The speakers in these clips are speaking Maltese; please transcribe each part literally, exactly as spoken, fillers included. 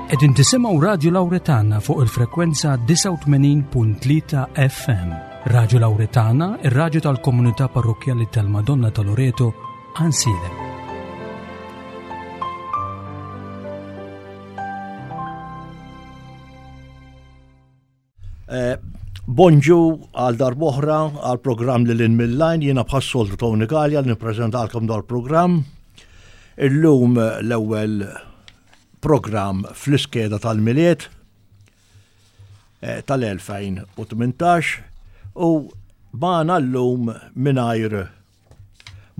Qegħdin tisimgħu Radio Lauretana fuq il-frekwenza disgħa u tmenin punt tlieta F M. Radio Lauretana, ir-radju tal-komunità parrokjali tal-Madonna ta' Loreto, Għajnsielem. Eh, Bonġu għal darb'oħra għal programm Lil Hinn Mil-Line, jiena bħas-soltu Tony Gallia li nippreżentalkom dal-programm. Illum l-ewwel programm fl-iskeda tal-Milied eh, tal-elfejn u tmintax u magħna llum, mingħajr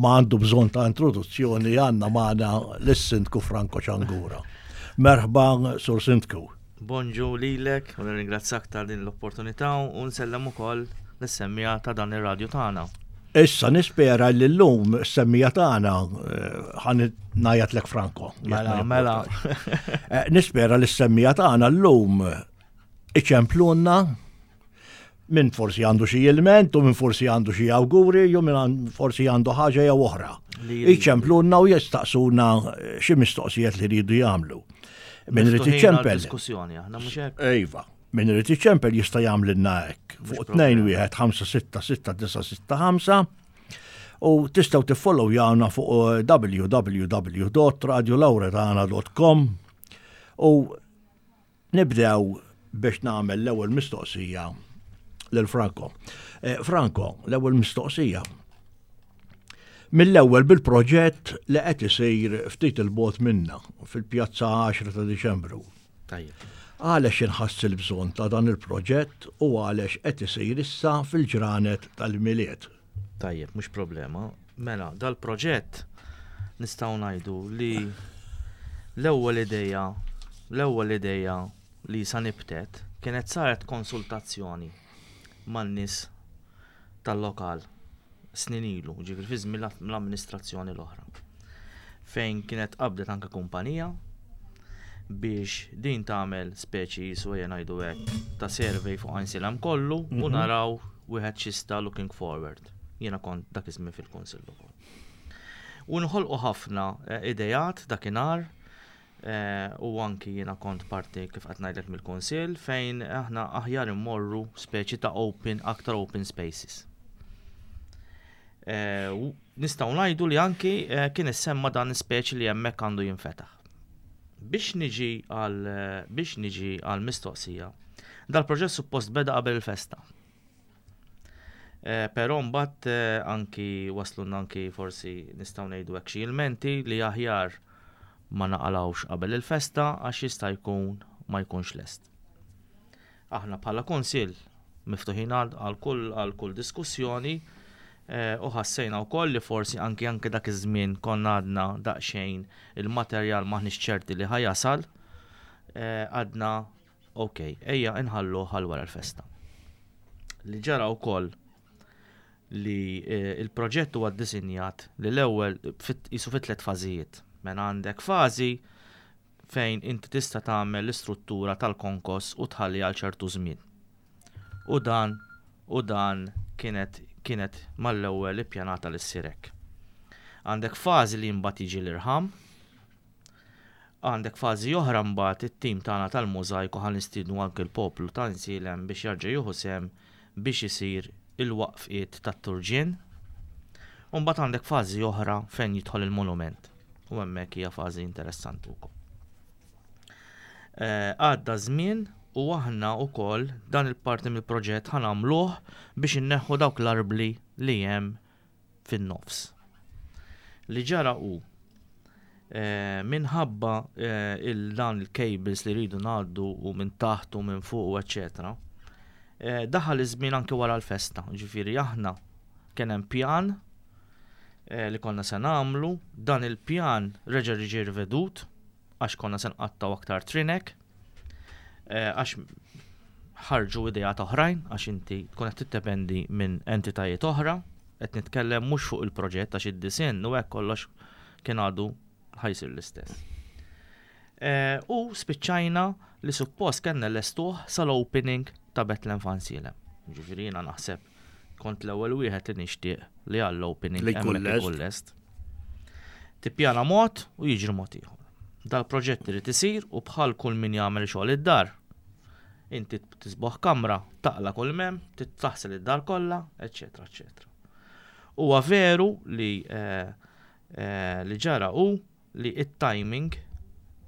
ma għandu bżonn ta' introduzzjoni, għandna magħna lis-Sindku Franco Ciangura. Merħba, Sur Sindku. Bonġu lilek u nirringrazzjak ta' din l-opportunità u nsellem ukoll lis-semmiegħa ta' dan ir-radju tagħna. Issa nispera li llum s-semmiegħa tagħna, eh, ħa ngħajjatlek Franco. Mela, mela. Eh, Nispera li s-semmiegħa tagħna llum iċemplunna, min forsi għandu xi ilment u min forsi għandu xi awguri jew min forsi għandu ħaġa jew oħra. Iċemplunna u jistaqsuna xi mistoqsijiet li jridu jagħmlu. Min irid iċempel. Diskussjoni, aħna mhux hekk. Iva. Min irid iċempel jista' jagħmlilna hekk fuq tnejn wieħed ħamsa sitta sitta disa' sitta ħamsa u tistgħu tiffollowjawna fuq w w w punt radiolauretana punt com u nibdew biex nagħmel l-ewwel mistoqsija lil Franco. Eh, Franco, l-ewwel mistoqsija. Mill-ewwel bil-proġett li qed isir ftit 'il bogħod minna fil-Pjazza għaxra ta' Diċembru. Tajjeb. Għalex inħass il-bżonn ta' dan il-proġett u għalex qed isir issa fil-ġranet tal-Milied? Tajjeb, mhux problema. Mela, dal-proġett nistgħu ngħidu li l-ewwel ideja, l-ewwel ideja li sa nibtet kienet saret konsultazzjoni man-nies tal-lokal snin ilu, ġifieri fi żmien l-amministrazzjoni l-oħra. Fejn kienet qabdet anke kumpanija biex din tagħmel speċi jisu, ejja ngħidu hekk, ta' survey fuq Għajnsielem kollu u Mhm. naraw wieħed xista looking forward. Jiena kont dak iż-żmien fil-kunsill ukoll. U nħolqu ħafna eh, idejat dakinhar eh, u anki jiena kont parti, kif qed ngħidlek, mill-kunsill fejn aħna aħjar immorru speċi ta' open, aktar open spaces. Eh, u nistgħu ngħidu li anki eh, kien issemma dan speċi li hemmhekk għandu jinfetaħ. Biex niġi għal biex niġi għal mistoqsija, dal-proġett suppost beda qabel il-festa. Eh, Però mbagħad eh, anki waslunna anki forsi nistgħu ngħidu hekk xi ilmenti li aħjar ma naqalawx qabel il-festa għax jista' jkun ma jkunx lest. Aħna bħala kunsill miftuħin għal għal kull għal kull diskussjoni eh, u ħassejna wkoll li forsi anki anki dak iż-żmien konna għadna daqsxejn il-materjal maħniex ċerti li ħa jasal, eh, għadna ok, ejja inħallu għal wara l-festa. Li ġara wkoll li eh, il-proġett huwa ddisinjat li l-ewwel fit- jisu fit tliet fażijiet. Mela għandek fażi fejn inti tista' tagħmel l-istruttura tal-konkos u tħalli għal ċertu żmien. U dan u dan kienet kienet mal-ewwel ippjanata li ssir hekk. Għandek fażi li mbagħad jiġi l-irħam, għandek fażi oħra mbagħad it-tim tagħna tal-mużajku, ħa nistiednu anke l-poplu ta' Għajnsielem biex jarġa' jieħu sehem biex isir il-waqfiet tat-turġien. U mbagħad għandek fażi oħra fejn jidħol il-monument. U hemmhekk hija fażi interessanti wkoll. Eh, Għadda żmien u aħna wkoll dan il-parti mill-proġett ħa nagħmluh biex inneħħu dawk l-arbli li hemm fin-nofs. Li ġara hu eh, minħabba eh, il-dan il-cables li rridu ngħaddu u minn taħt u minn fuq u eccetera. Eh, daħal iż-żmien anke wara l-festa, ġifieri aħna kien hemm pjan eh, li konna se nagħmlu, dan il-pjan reġa' ġie rivedut għax konna se nqattaw aktar trinek, eh, għax ħarġu idejat oħrajn, għax inti tkun qed tiddependi minn entitajiet oħra, qed nitkellem mhux fuq il-proġett għax id-disinn u hekk kollox kien għadu ħa jsir l-istess. Eh, U spiċċajna li suppost kellna lestuh sal-opening ta' Bethlehem f'Għajnsielem. Ġifieri jiena naħseb kont l-ewwel wieħed li nixtieq li għall-opening li jkun hemmhekk lest. ikun lest. Tippjana mod u jiġri mod ieħor. Dal-proġett irid isir u bħal kull min jagħmel xogħol id-dar. Inti tisboħ kamra, taqla kull mem, taħsel id-dar kollha, eċetera, eċetera. Huwa veru li eh, eh, li ġara hu li it-timing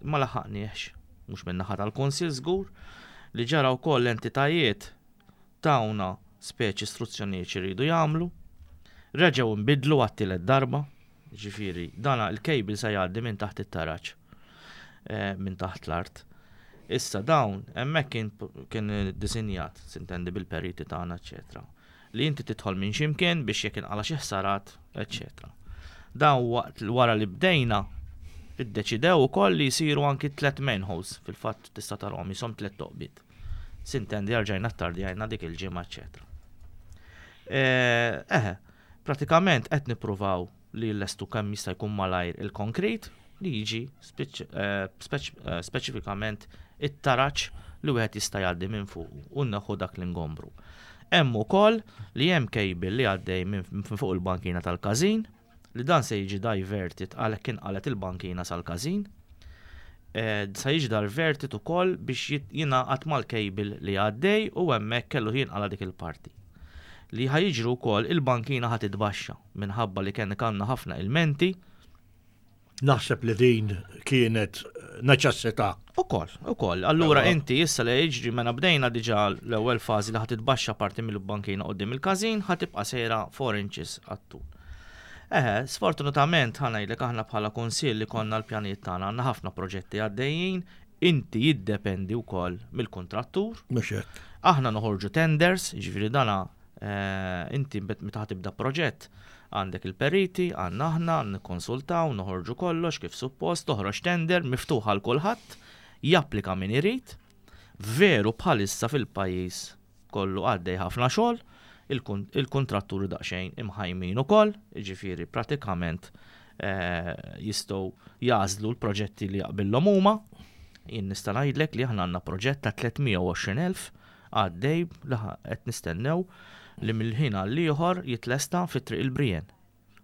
ma laħaqniex, mhux min-naħa tal-Kunsill żgur, li ġara wkoll l-entitajiet tawna speċi istruzzjonijiet x'iridu jagħmlu, reġgħu nbidlu għat-tielet darba, ġifieri dana il-cable se jgħaddi minn taħt it-taraġ, eh, minn taħt l-art. Issa dawn hemmhekk kien kien disinjat, sintendi bil-periti tagħna, eċetera. Li inti tidħol minn ximkien biex jekk inqala xi ħsarat, eċetera. Dawn waqt wara li bdejna iddeċidew ukoll li jsiru anki tliet manholes, fil-fatt tista' tarahom jisom tliet toqbiet. Sintendi rġajna ttardjajna dik il-ġimgħa, eċetera. Eħe, pratikament qed nippruvaw li lestu kemm jista' jkun malajr il-konkrit li jiġi speċifikament it-taraġ li wieħed jista' jgħaddi minn fuq u neħħu dak l-ingombru. Hemm ukoll li hemm cable li għaddej minn fuq il-bankina tal-każin li dan se jiġi diverted għalhekk inqalet il-bankina sal-każin. Se jiġi diverted ukoll biex jingħaqad mal-cable li għaddej u hemmhekk kellu jinqala dik il-parti. Li ħa jiġri wkoll il-bankina ħa titbaxxa minħabba li kien kellna ħafna ilmenti. Naħseb li din kienet neċessità. Ukoll, ukoll. Allura inti issa li jiġri mela bdejna diġà l-ewwel fażi li ħa titbaxxa parti mill-bankina quddiem il-każin, ħa tibqa' sejra four inches għat-tul. Eħe, sfortunatament ħa ngħidlek aħna bħala kunsill li konna l-pjanijiet tagħna għandna ħafna proġetti għaddejjin, inti jiddependi wkoll mill-kuntrattur. Mhux hekk. Aħna noħorġu tenders, jiġifieri dana inti meta tibda proġett għandek il-periti, għandna aħna, nikkonsultaw, noħorġu kollox kif suppost, toħroġ tender miftuħa għal kulħadd, japplika min irid. Veru bħalissa fil-pajjiż kollu għaddej ħafna xogħol, il-kontratturi daqsxejn imħajmin ukoll, jiġifieri pratikament jistgħu jażlu l-proġetti li jaqbillhom huma. Jien nista' ngħidlek li aħna għandna proġett ta' tliet mija u għoxrin elf għaddej li qed nistennew li mill-ħin għal ieħor jitlesta fi Triq il-Brien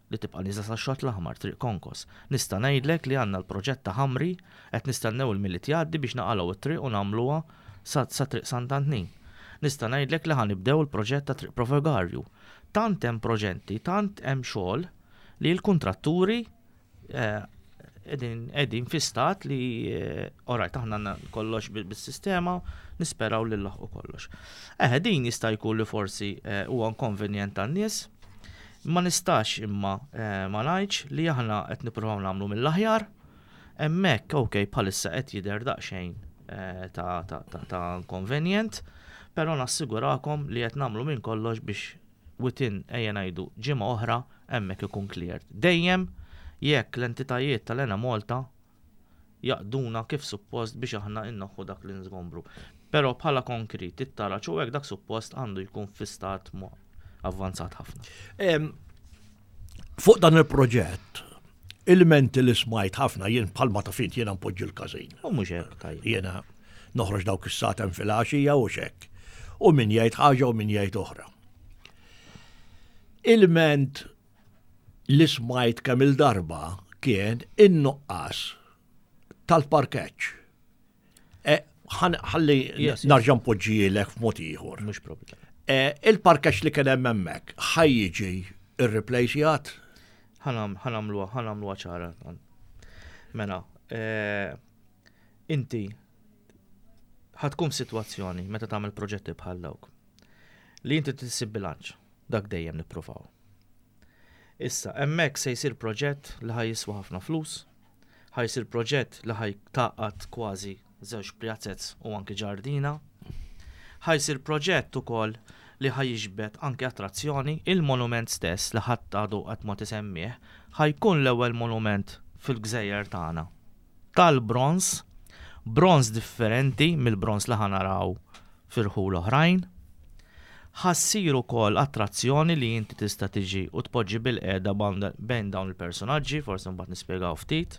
li tibqa' nieżla sax-Xott l-Aħmar, Triq Konkos. Nista' ngħidlek li għandna l-proġett ta' Ħamri qed nistennew il-Milied jgħaddi biex naqalgħu t-triq u nagħmluha sa Triq Sant'Antnin. Nista' ngħidlek li ħanibdew il-proġett ta' Triq Provogarju. Tant hemm proġetti, tant hemm xogħol li l-kontratturi qegħdin fi stat li orajt aħna għandna kollox bis-sistema, nisperaw li nlaħqu kollox. Eħe, din jista' jkun li forsi huwa inkonvenjent tan-nies, ma nistax imma ma ngħidx li aħna qed nippruvaw nagħmlu mill-aħjar. Hemmhekk ok bħalissa qed jidher daqsxejn ta' ta' inkonvenjent, però nassigurakom li qed nagħmlu minn kollox biex within ejja ngħidu ġimgħa oħra hemmhekk ikun cleared. Dejjem jekk l-entitajiet tal-Enemalta jaqduna kif suppost biex aħna innoħħu dak li nżgombru. Però bħala konkrit, it-taraġ u hekk dak suppost għandu jkun fi stat avvanzat ħafna. Fuq dan il-proġett, il-menti li smajt ħafna jien bħalma ta' fint jiena npoġġi l-każin. U mhux hekk tajjeb. Jiena noħroġ dawk is-satem fil-għaxija u xek. U min jgħid ħaġa u min jgħid oħra. Il-ment li smajt kemm il-darba kien in-nuqqas tal-parkeġġ. Ħalli narġa' npoġġielek f'mod ieħor. Mhux problema. Il-parkeġġ li kien hemm hemmhekk ħa jiġi irreplacjat? Ħanamluha, ħanamluha ċara. Mela, inti ħa tkun f'sitwazzjoni meta tagħmel proġetti bħal dawk li inti tissib bilanċ, dak dejjem nippruvaw. Issa, hemmhekk se jsir proġett li ħa jiswa ħafna flus, ħa jsir proġett li ħa jtaqqad kważi żewġ pjazzez u anki ġardina, ħa jsir proġett ukoll li ħa jiġbed anki attrazzjoni, il-monument stess li ħadd għadu qatt ma tisemmih, ħa jkun l-ewwel monument fil-gżejjer tagħna. Tal-bronz, bronz differenti mill-bronz li ħa naraw firħul oħrajn. Ħa ssir ukoll attrazzjoni li inti tista' tiġi u tpoġġi bil-qiegħda bejn dawn il-personaġġi, forsi mbagħad nispjegaw ftit.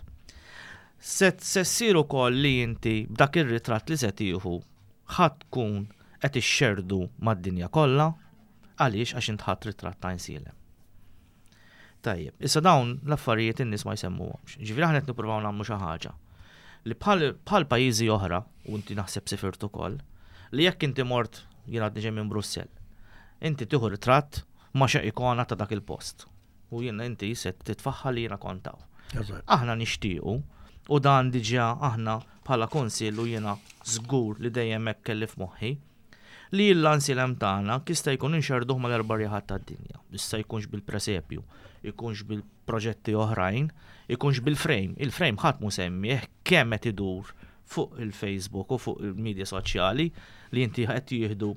Se ssir ukoll li inti b'dak ir-ritratt li se tieħu ħa tkun qed ixxerdu mad-dinja kollha, għaliex għax int ħadd ritratt ta' Għajnsielem. Tajjeb, issa dawn l-affarijiet in-nies ma jsemmuhomx. Ġifieri aħna qed nippruvaw nagħmlu xi ħaġa Li bħal pajjiżi oħra, u inti naħseb sifirt ukoll, li jekk inti mort, jien għadni ġej minn Brussell, inti tieħu ritratt ma' xi ikona ta' dak il-post. U jiena inti se titfaħħa li jiena kont hawn. Aħna nixtiequ, u dan diġà aħna bħala kunsill u jiena żgur li dejjem hekk kelli f'moħħi, li l-Għajnsielem tagħna jista' jkun inxerduh mal-erba' rjaħat tad-dinja. Issa jkunx bil-presepju, jkunx bil-proġetti oħrajn, jkunx bil-frame. Il-frame ħadd mu semmih kemm qed idur fuq il-Facebook u fuq il-medja soċjali li inti qed jieħdu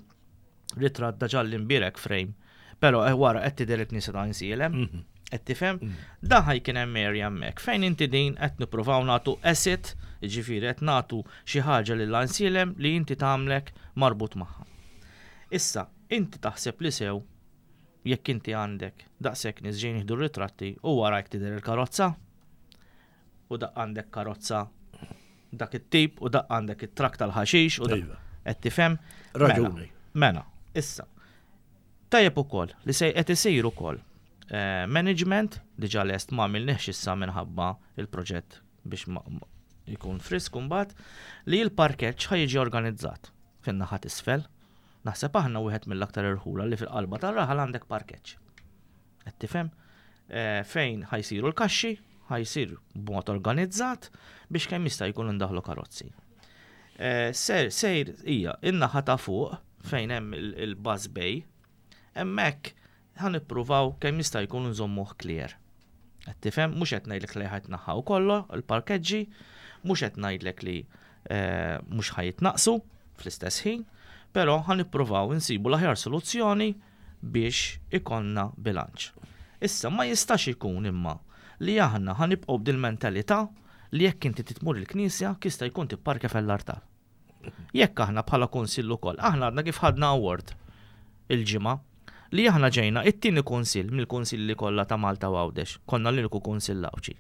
ritratt da ġall-imbierek frame. Però eh, wara qed tidher il-knisja ta' Għajnsielem, mhm. qed tifhem? Mhm. Dan ħa jkun hemm area hemmhekk fejn inti din qed nippruvaw nagħtu asset, jiġifieri qed nagħtu xi ħaġa lil Għajnsielem li inti tagħmlek marbut magħha. Issa, inti taħseb li sew jekk inti għandek daqshekk nies ġejjin jieħdu ritratti u warajk tidher il-karozza u daq għandek karozza dak it-tip u daq għandek it-trakk tal-ħaxix u Iva. qed tifhem? Raġuni. Mela, issa. Tajjeb ukoll li se qed isir ukoll eh, management diġà lest, ma għamilniex issa minħabba il-proġett biex jkun frisk mbagħad, li l-parkeġġ ħa jiġi organizzat fin-naħa t'isfel. Naħseb aħna wieħed mill-aktar irħula li fil-qalba tar-raħal għandek parkeġġ. Qed tifhem? Eh, fejn ħa jsiru l-kaxxi, ħa jsir b'mod organizzat biex kemm jista' jkun indaħlu karozzi. Eh, sejr hija in-naħa ta' fuq fejn hemm il-bus bay, hemmhekk ħa nippruvaw kemm jista' jkun nżommuh clear. Qed tifhem, mhux qed ngħidlek li ħa jitneħħaw kollu il-parkeġġi, mhux qed ngħidlek li eh, mhux ħa jitnaqsu fl-istess ħin, però ħa nippruvaw insibu l-aħjar soluzzjoni biex ikollna bilanċ. Issa ma jistax ikun imma li aħna ħa nibqgħu b'dil-mentalità li jekk inti titmur il-knisja jista' jkun tipparkja fl-artal. Jekk aħna bħala kunsill ukoll, aħna għadna kif ħadna award il-ġimgħa li aħna ġejna it-tieni kunsill mill-kunsilli kollha ta' Malta u Għawdex, konna l-uniku kunsill Għawdxi.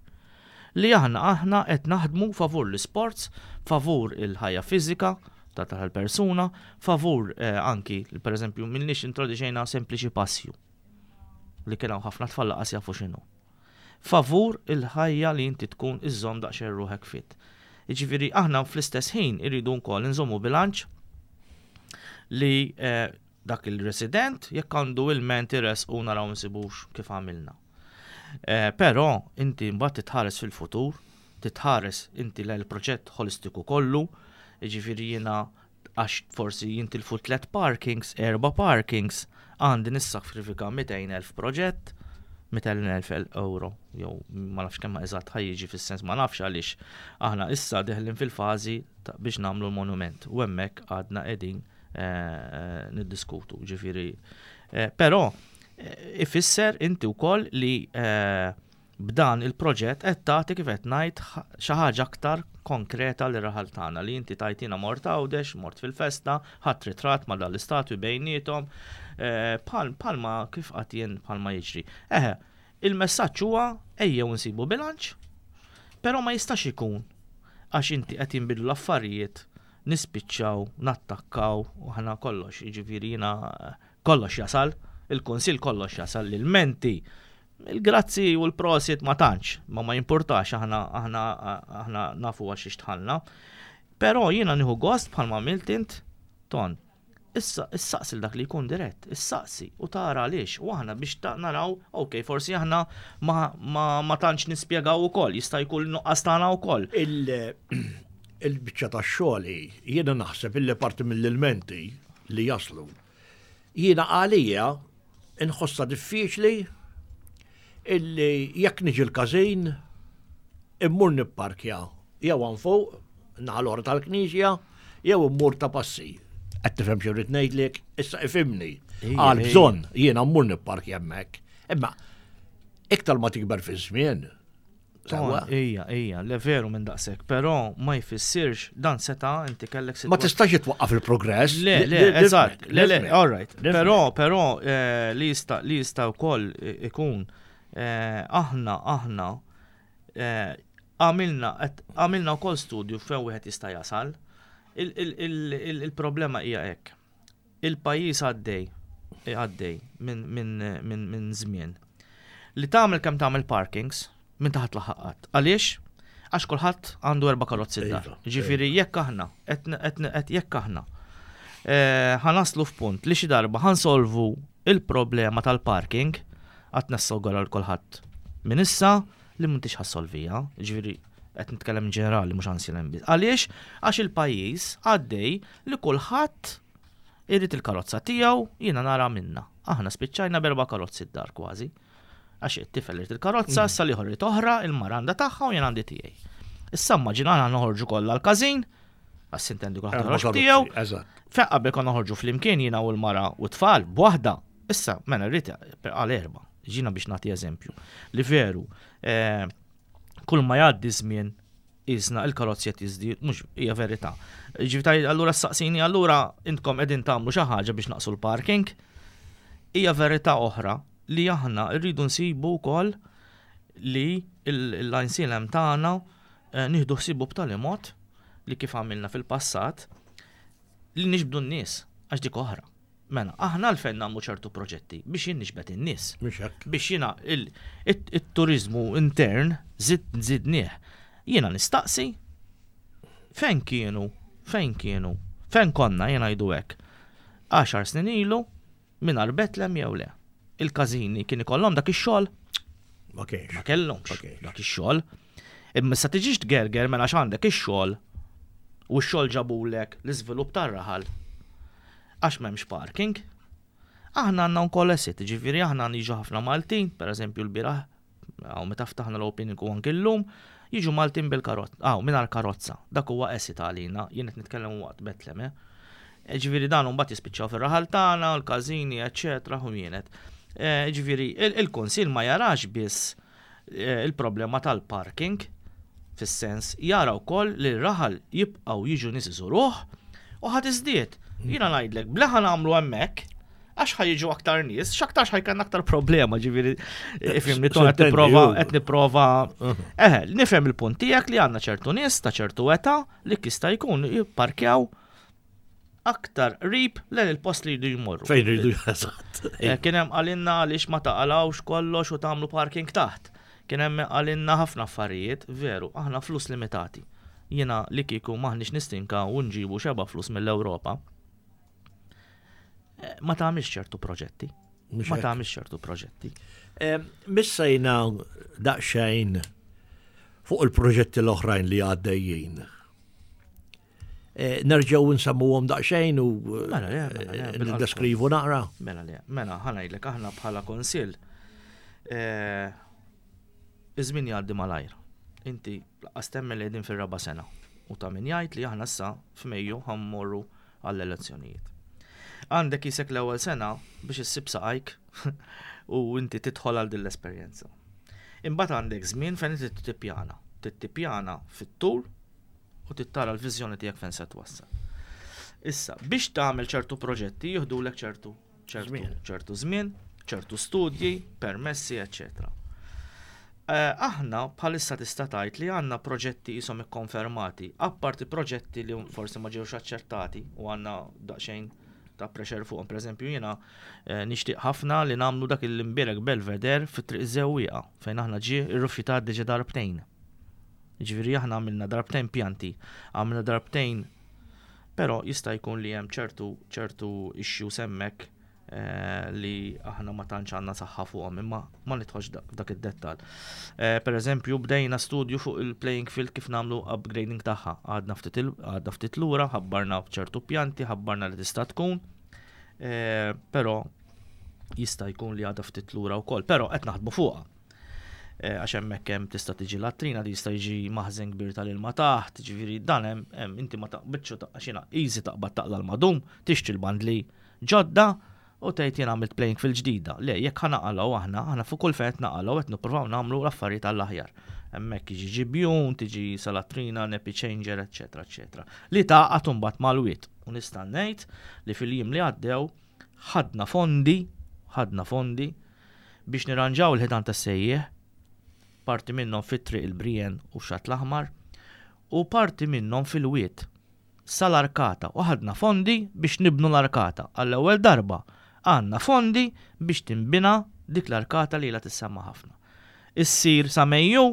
Li aħna aħna qed naħdmu favur l-sports, favur il-ħajja fiżika ta' tal-persuna, favur eh, anki, per eżempju, minnix introduċejna sempliċi passju li kien hawn ħafna tfal laqas jafu x'inhu. Favur il-ħajja li inti tkun iżżomm daqsxejn ruħek fit. Jiġifieri aħna fl-istess ħin irridu wkoll nżommu bilanċ li eh, dak il-resident jekk għandu il-ment u naraw nsibux kif għamilna. Eh, però inti mbagħad titħares fil-futur, titħares inti l-proġett holistiku kollu, jiġifieri jiena għax forsi jintilfu tlet parkings, erba parkings, għandi nissakrifika mitejn elf proġett, mitejn elf euro, jew ma nafx kemm eżatt ħa jiġi, fis-sens ma nafx għaliex aħna issa deħlin fil-fażi biex nagħmlu l-monument u hemmhekk għadna qegħdin eh, niddiskutu, ġifieri. Eh, però eh, ifisser inti wkoll li b'dan il-proġett qed tagħti, kif qed ngħid, xi ħaġa aktar konkreta li raħal tagħna li inti tajtina mort Għawdex, mort fil-festa, ħadd ritratt ma' dal-istatwi bejniethom, bħalma kif qatt jien bħalma jiġri. Eħe, il-messaġġ huwa ejjew nsibu bilanċ, però ma jistax ikun għax inti qed jinbidlu l-affarijiet nispiċċaw, nattakkaw u ħana kollox, jiġifieri jiena kollox jasal, il-kunsill kollox jasal, l-menti, il-grazzi u l-prosit ma tantx, ma ma jimpurtax, aħna aħna aħna nafu għax ixtħalna. Però jiena nieħu gost bħalma għamilt int ton. Issa issaqsi dak li jkun dirett, issaqsi u tara għaliex u aħna biex ta' naraw, ok, forsi aħna ma, ma, ma tantx nispjegaw ukoll, jista' jkun nuqqas tagħna wkoll. Il-biċċa ta' xogħli jiena naħseb illi parti mill-ilmenti li jaslu. Jiena għalija inħossa diffiċli illi jekk niġi l-każin immur nipparkja jew hawn fuq naħa l tal-knisja jew immur ta' passi. Qed tifhem xi rrid ngħidlek? Issa ifhimni. Għal bżonn jiena mmur nipparkja hemmhekk. Imma iktar ma tikber fi żmien. Ija, ija, le veru minn daqshekk, però ma jfissirx dan seta' inti kellek Ma tistax twaqqaf il-progress. Le, le, eżatt, le, le, all right. Però, però eh, li jista' li jista' wkoll ikun eh, aħna aħna eh, għamilna għamilna wkoll studju fejn wieħed jista' jasal. Il-problema hija hekk. Il-pajjiż għaddej għaddej minn żmien li tagħmel kemm tagħmel parkings minn taħt laħaqat. Għaliex? Għax kulħadd għandu erba' karozzi d-dar. Iva, Ġifieri jekk aħna, qed jekk aħna eh, ħa naslu f'punt li xi darba ħa nsolvu il-problema tal-parking, għad nassogora l kulħadd minn issa li m'intix ħa ssolviha, ġifieri qed nitkellem ġenerali mhux Għajnsielem biss. Għaliex? Għax il-pajjiż għaddej li kulħadd irid il-karozza tiegħu, jiena nara minna. Aħna spiċċajna b'erba' karozzi d-dar kważi. Għax it-tifel irid il-karozza, issa l-ieħor irid oħra, il-mara għandha tagħha u jien għandi tiegħi. Issa immaġina aħna noħorġu kollha l-każin, għax intendi kulħadd Erba' joħroġ karozzi, tiegħu. Eżatt. Fejn qabel konna noħorġu flimkien jiena u l-mara u t-tfal b'waħda. Issa, mela rrid għal erba'. Ġina biex nagħti eżempju. Li veru, eh, kull ma jgħaddi żmien isna il-karozzi qed jiżdied, mhux hija verità. Ġifieri allura saqsini allura intkom qegħdin tagħmlu xi ħaġa biex naqsu l-parking. Hija verità oħra li aħna rridu nsibu wkoll li l-Għajnsielem tagħna eh, nieħdu ħsibu b'tali mod li kif għamilna fil-passat li niġbdu n-nies għax dik oħra. Mela, aħna għalfejn nagħmlu ċertu proġetti biex jien niġbed in-nies. Mhux hekk. Biex jiena il-turizmu intern zid zidnieh. Jiena nistaqsi fejn kienu, fejn kienu, fejn konna jiena jgħidu hekk. Għaxar snin ilu mingħajr Betlem jew le. Il-każini kien ikollhom dak ix-xogħol Ma kienx. ma kellhomx Ma kienx. dak ix-xogħol. Imma sa tiġix tgerger mela għandek ix-xogħol u x-xogħol ġabulek l-iżvilupp tar-raħal. Għax m'hemmx parking. Aħna għandna wkoll asset, ġifieri aħna niġu ħafna Maltin, pereżempju l-bieraħ, għaw meta ftaħna l-opening u anke llum, jiġu Maltin bil-karozza, għaw mingħajr karozza. Dak huwa asset għalina, jien qed nitkellem waqt Betlem, eh. Ġifieri dan mbagħad jispiċċaw fir-raħal tagħna, l-każini, eċċetera, u jienet. Eh, Ġifieri il-Kunsill ma jarax biss eh, il-problema tal-parking, fis-sens jara wkoll li r-raħal jibqgħu jiġu nies iżuruh u ħadd iżdied. Jiena ngħidlek, bla ħa nagħmlu hemmhekk, għax ħa jiġu aktar nies, x'aktarx ħa jkollna aktar problema, ġifieri, ifhimni ton qed Sintendi, nipprova ju. qed nipprova. Eħe, nifhem il-punt tiegħek li għandna ċertu nies ta' ċertu età li jista' jkun jipparkjaw aktar qrib lejn il-post li jridu jmorru. Fejn rridu eżatt. Eh, Kien hemm qalilna għaliex ma taqalawx kollox u tagħmlu parking taħt. Kien hemm qalilna ħafna affarijiet, veru, aħna flus limitati. Jiena li kieku maħniex nistinka u nġibu xeba flus mill-Ewropa. eh, Ma tagħmilx ċertu proġetti. Mhux Ma hekk. tagħmilx ċertu proġetti. Eh, Missejna daqsxejn fuq il-proġetti l-oħrajn li għaddejjin. Eh, Nerġgħu nsemmuhom daqsxejn u eh, Mela, le, mela, le, bil-qalb. niddeskrivu naqra. Mela le, mela ħa ngħidlek aħna bħala kunsill eh, iż-żmien jgħaddi malajr. Inti lanqas temmen li qegħdin fir-raba' sena u ta' min jgħid li aħna issa f'Mejju ħa mmorru għall-elezzjonijiet. Għandek jisek l-ewwel sena biex issib saqajk u inti tidħol għal din l-esperjenza. Imbagħad għandek żmien fejn inti tippjana. Tippjana fit-tul u tittara l-viżjoni tiegħek fejn se twassal. Issa, biex tagħmel ċertu proġetti jieħdulek ċertu ċertu Żmien. ċertu żmien, ċertu studji, permessi, eċċetera. Eh, aħna bħalissa tista' tgħid li għandna proġetti jisom ikkonfermati, apparti proġetti li forsi ma ġewx aċċettati u għandna daqsxejn ta' pressure fuqhom. Per eżempju, jiena eh, nixtieq ħafna li nagħmlu dak il-imbierek belvedere fit-triq Żewwieqa fejn aħna ġie irrifjutat diġà darbtejn. Ġifieri aħna għamilna darbtejn pjanti, għamilna darbtejn, però jista' jkun li hemm ċertu ċertu issues hemmhekk eh, li aħna ma tantx għandna saħħa fuqhom, imma ma nidħolx dak, dak id-dettal. Eh, per eżempju, bdejna studju fuq il-playing field kif nagħmlu upgrading tagħha. Għadna ftit il- għadna ftit lura, ħabbarna ċertu pjanti, ħabbarna li tista' tkun, eh, però jista' jkun li għadha ftit lura wkoll, però qed naħdmu fuqha. Eh, Għax hemmhekk hemm tista' tiġi latrina, jista' jiġi maħżen kbir tal-ilma taħt, ġifieri dan hemm hemm inti ma taqbidx ta' għax jiena easy taqbad taqla l-madum, tixtri l-bandli ġodda u tgħid jien għamilt playing field ġdida. Le, jekk ħa naqalgħu aħna, aħna fuq kull fejn qed naqalgħu qed nippruvaw nagħmlu l-affarijiet għall-aħjar. Hemmhekk jiġi ġibjun, tiġi salatrina, nappy changer, eċetera, eċetera. Li taqgħad imbagħad mal-wied. U nista' ngħid li fil-jiem li għaddew ħadna fondi, ħadna fondi biex nirranġaw il-ħitan tas-sejjieħ, parti minnhom fit-triq il-Brien u xat l-Aħmar, u parti minnhom fil-wied sal-arkata u ħadna fondi biex nibnu l-arkata. Għall-ewwel darba għandna fondi biex tinbina dik l-arkata li la tissemma ħafna. Issir sa Mejju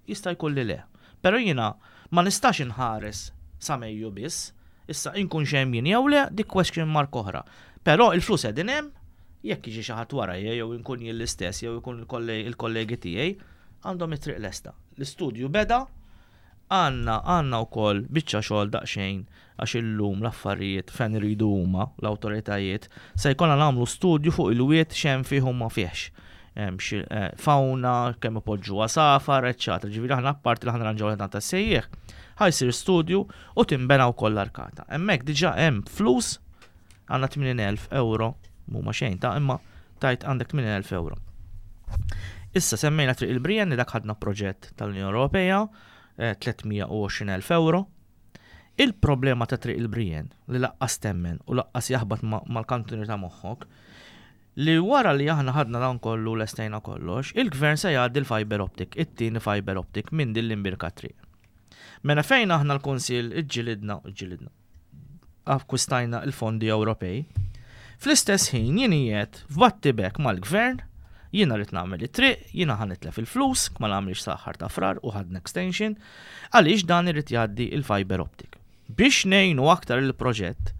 jista' jkun li le. Però jiena ma nistax inħares sa Mejju biss, issa inkun hemm jien jew le, dik question mark oħra. Però il-flus qegħdin hemm, jekk jiġi xi ħadd wara jew inkun jien l-istess jew ikun il-kollegi tiegħi, għandhom it-triq lesta. L-istudju beda, għandna għandna wkoll biċċa xogħol daqsxejn għax illum l-affarijiet fejn iridu huma l-awtoritajiet se jkollna nagħmlu studju fuq il-wied x'hemm fih u ma fihx. Hemm xi eh, fauna, kemm ipoġġu għasafar, eċċetera. Ġifieri aħna apparti li aħna nranġaw l tas-sejjieħ, ħa jsir studju u tinbena wkoll l-arkata. Hemmhekk diġà hemm flus, għandna tmenin elf euro, mhuma xejn ta' imma tajt għandek tmenin elf euro. Issa semmejna Triq il-Brienn li dak ħadna proġett tal-Unjoni Ewropea, eh, tliet mija u għoxrin elf euro. Il-problema ta' Triq il-Brienn li lanqas temmen u lanqas jaħbat mal-kantuni ta' moħħok li wara li aħna ħadna dan kollu, lestejna kollox, il-gvern se jgħaddi l-fiber optic, it-tieni fiber optic minn din l-imbierka triq. Mela fejn aħna l-Kunsill iġġilidna, iġġilidna, akkwistajna il-fondi Ewropej, fl-istess ħin jien qiegħed f'battibek mal-gvern, jiena rrid nagħmel it-triq, jiena ħa nitlef il-flus, ma nagħmilx sal-aħħar ta' Frar u ħadna extension, għaliex dan irid jgħaddi il-fiber optic. Biex ngħinu aktar il-proġett,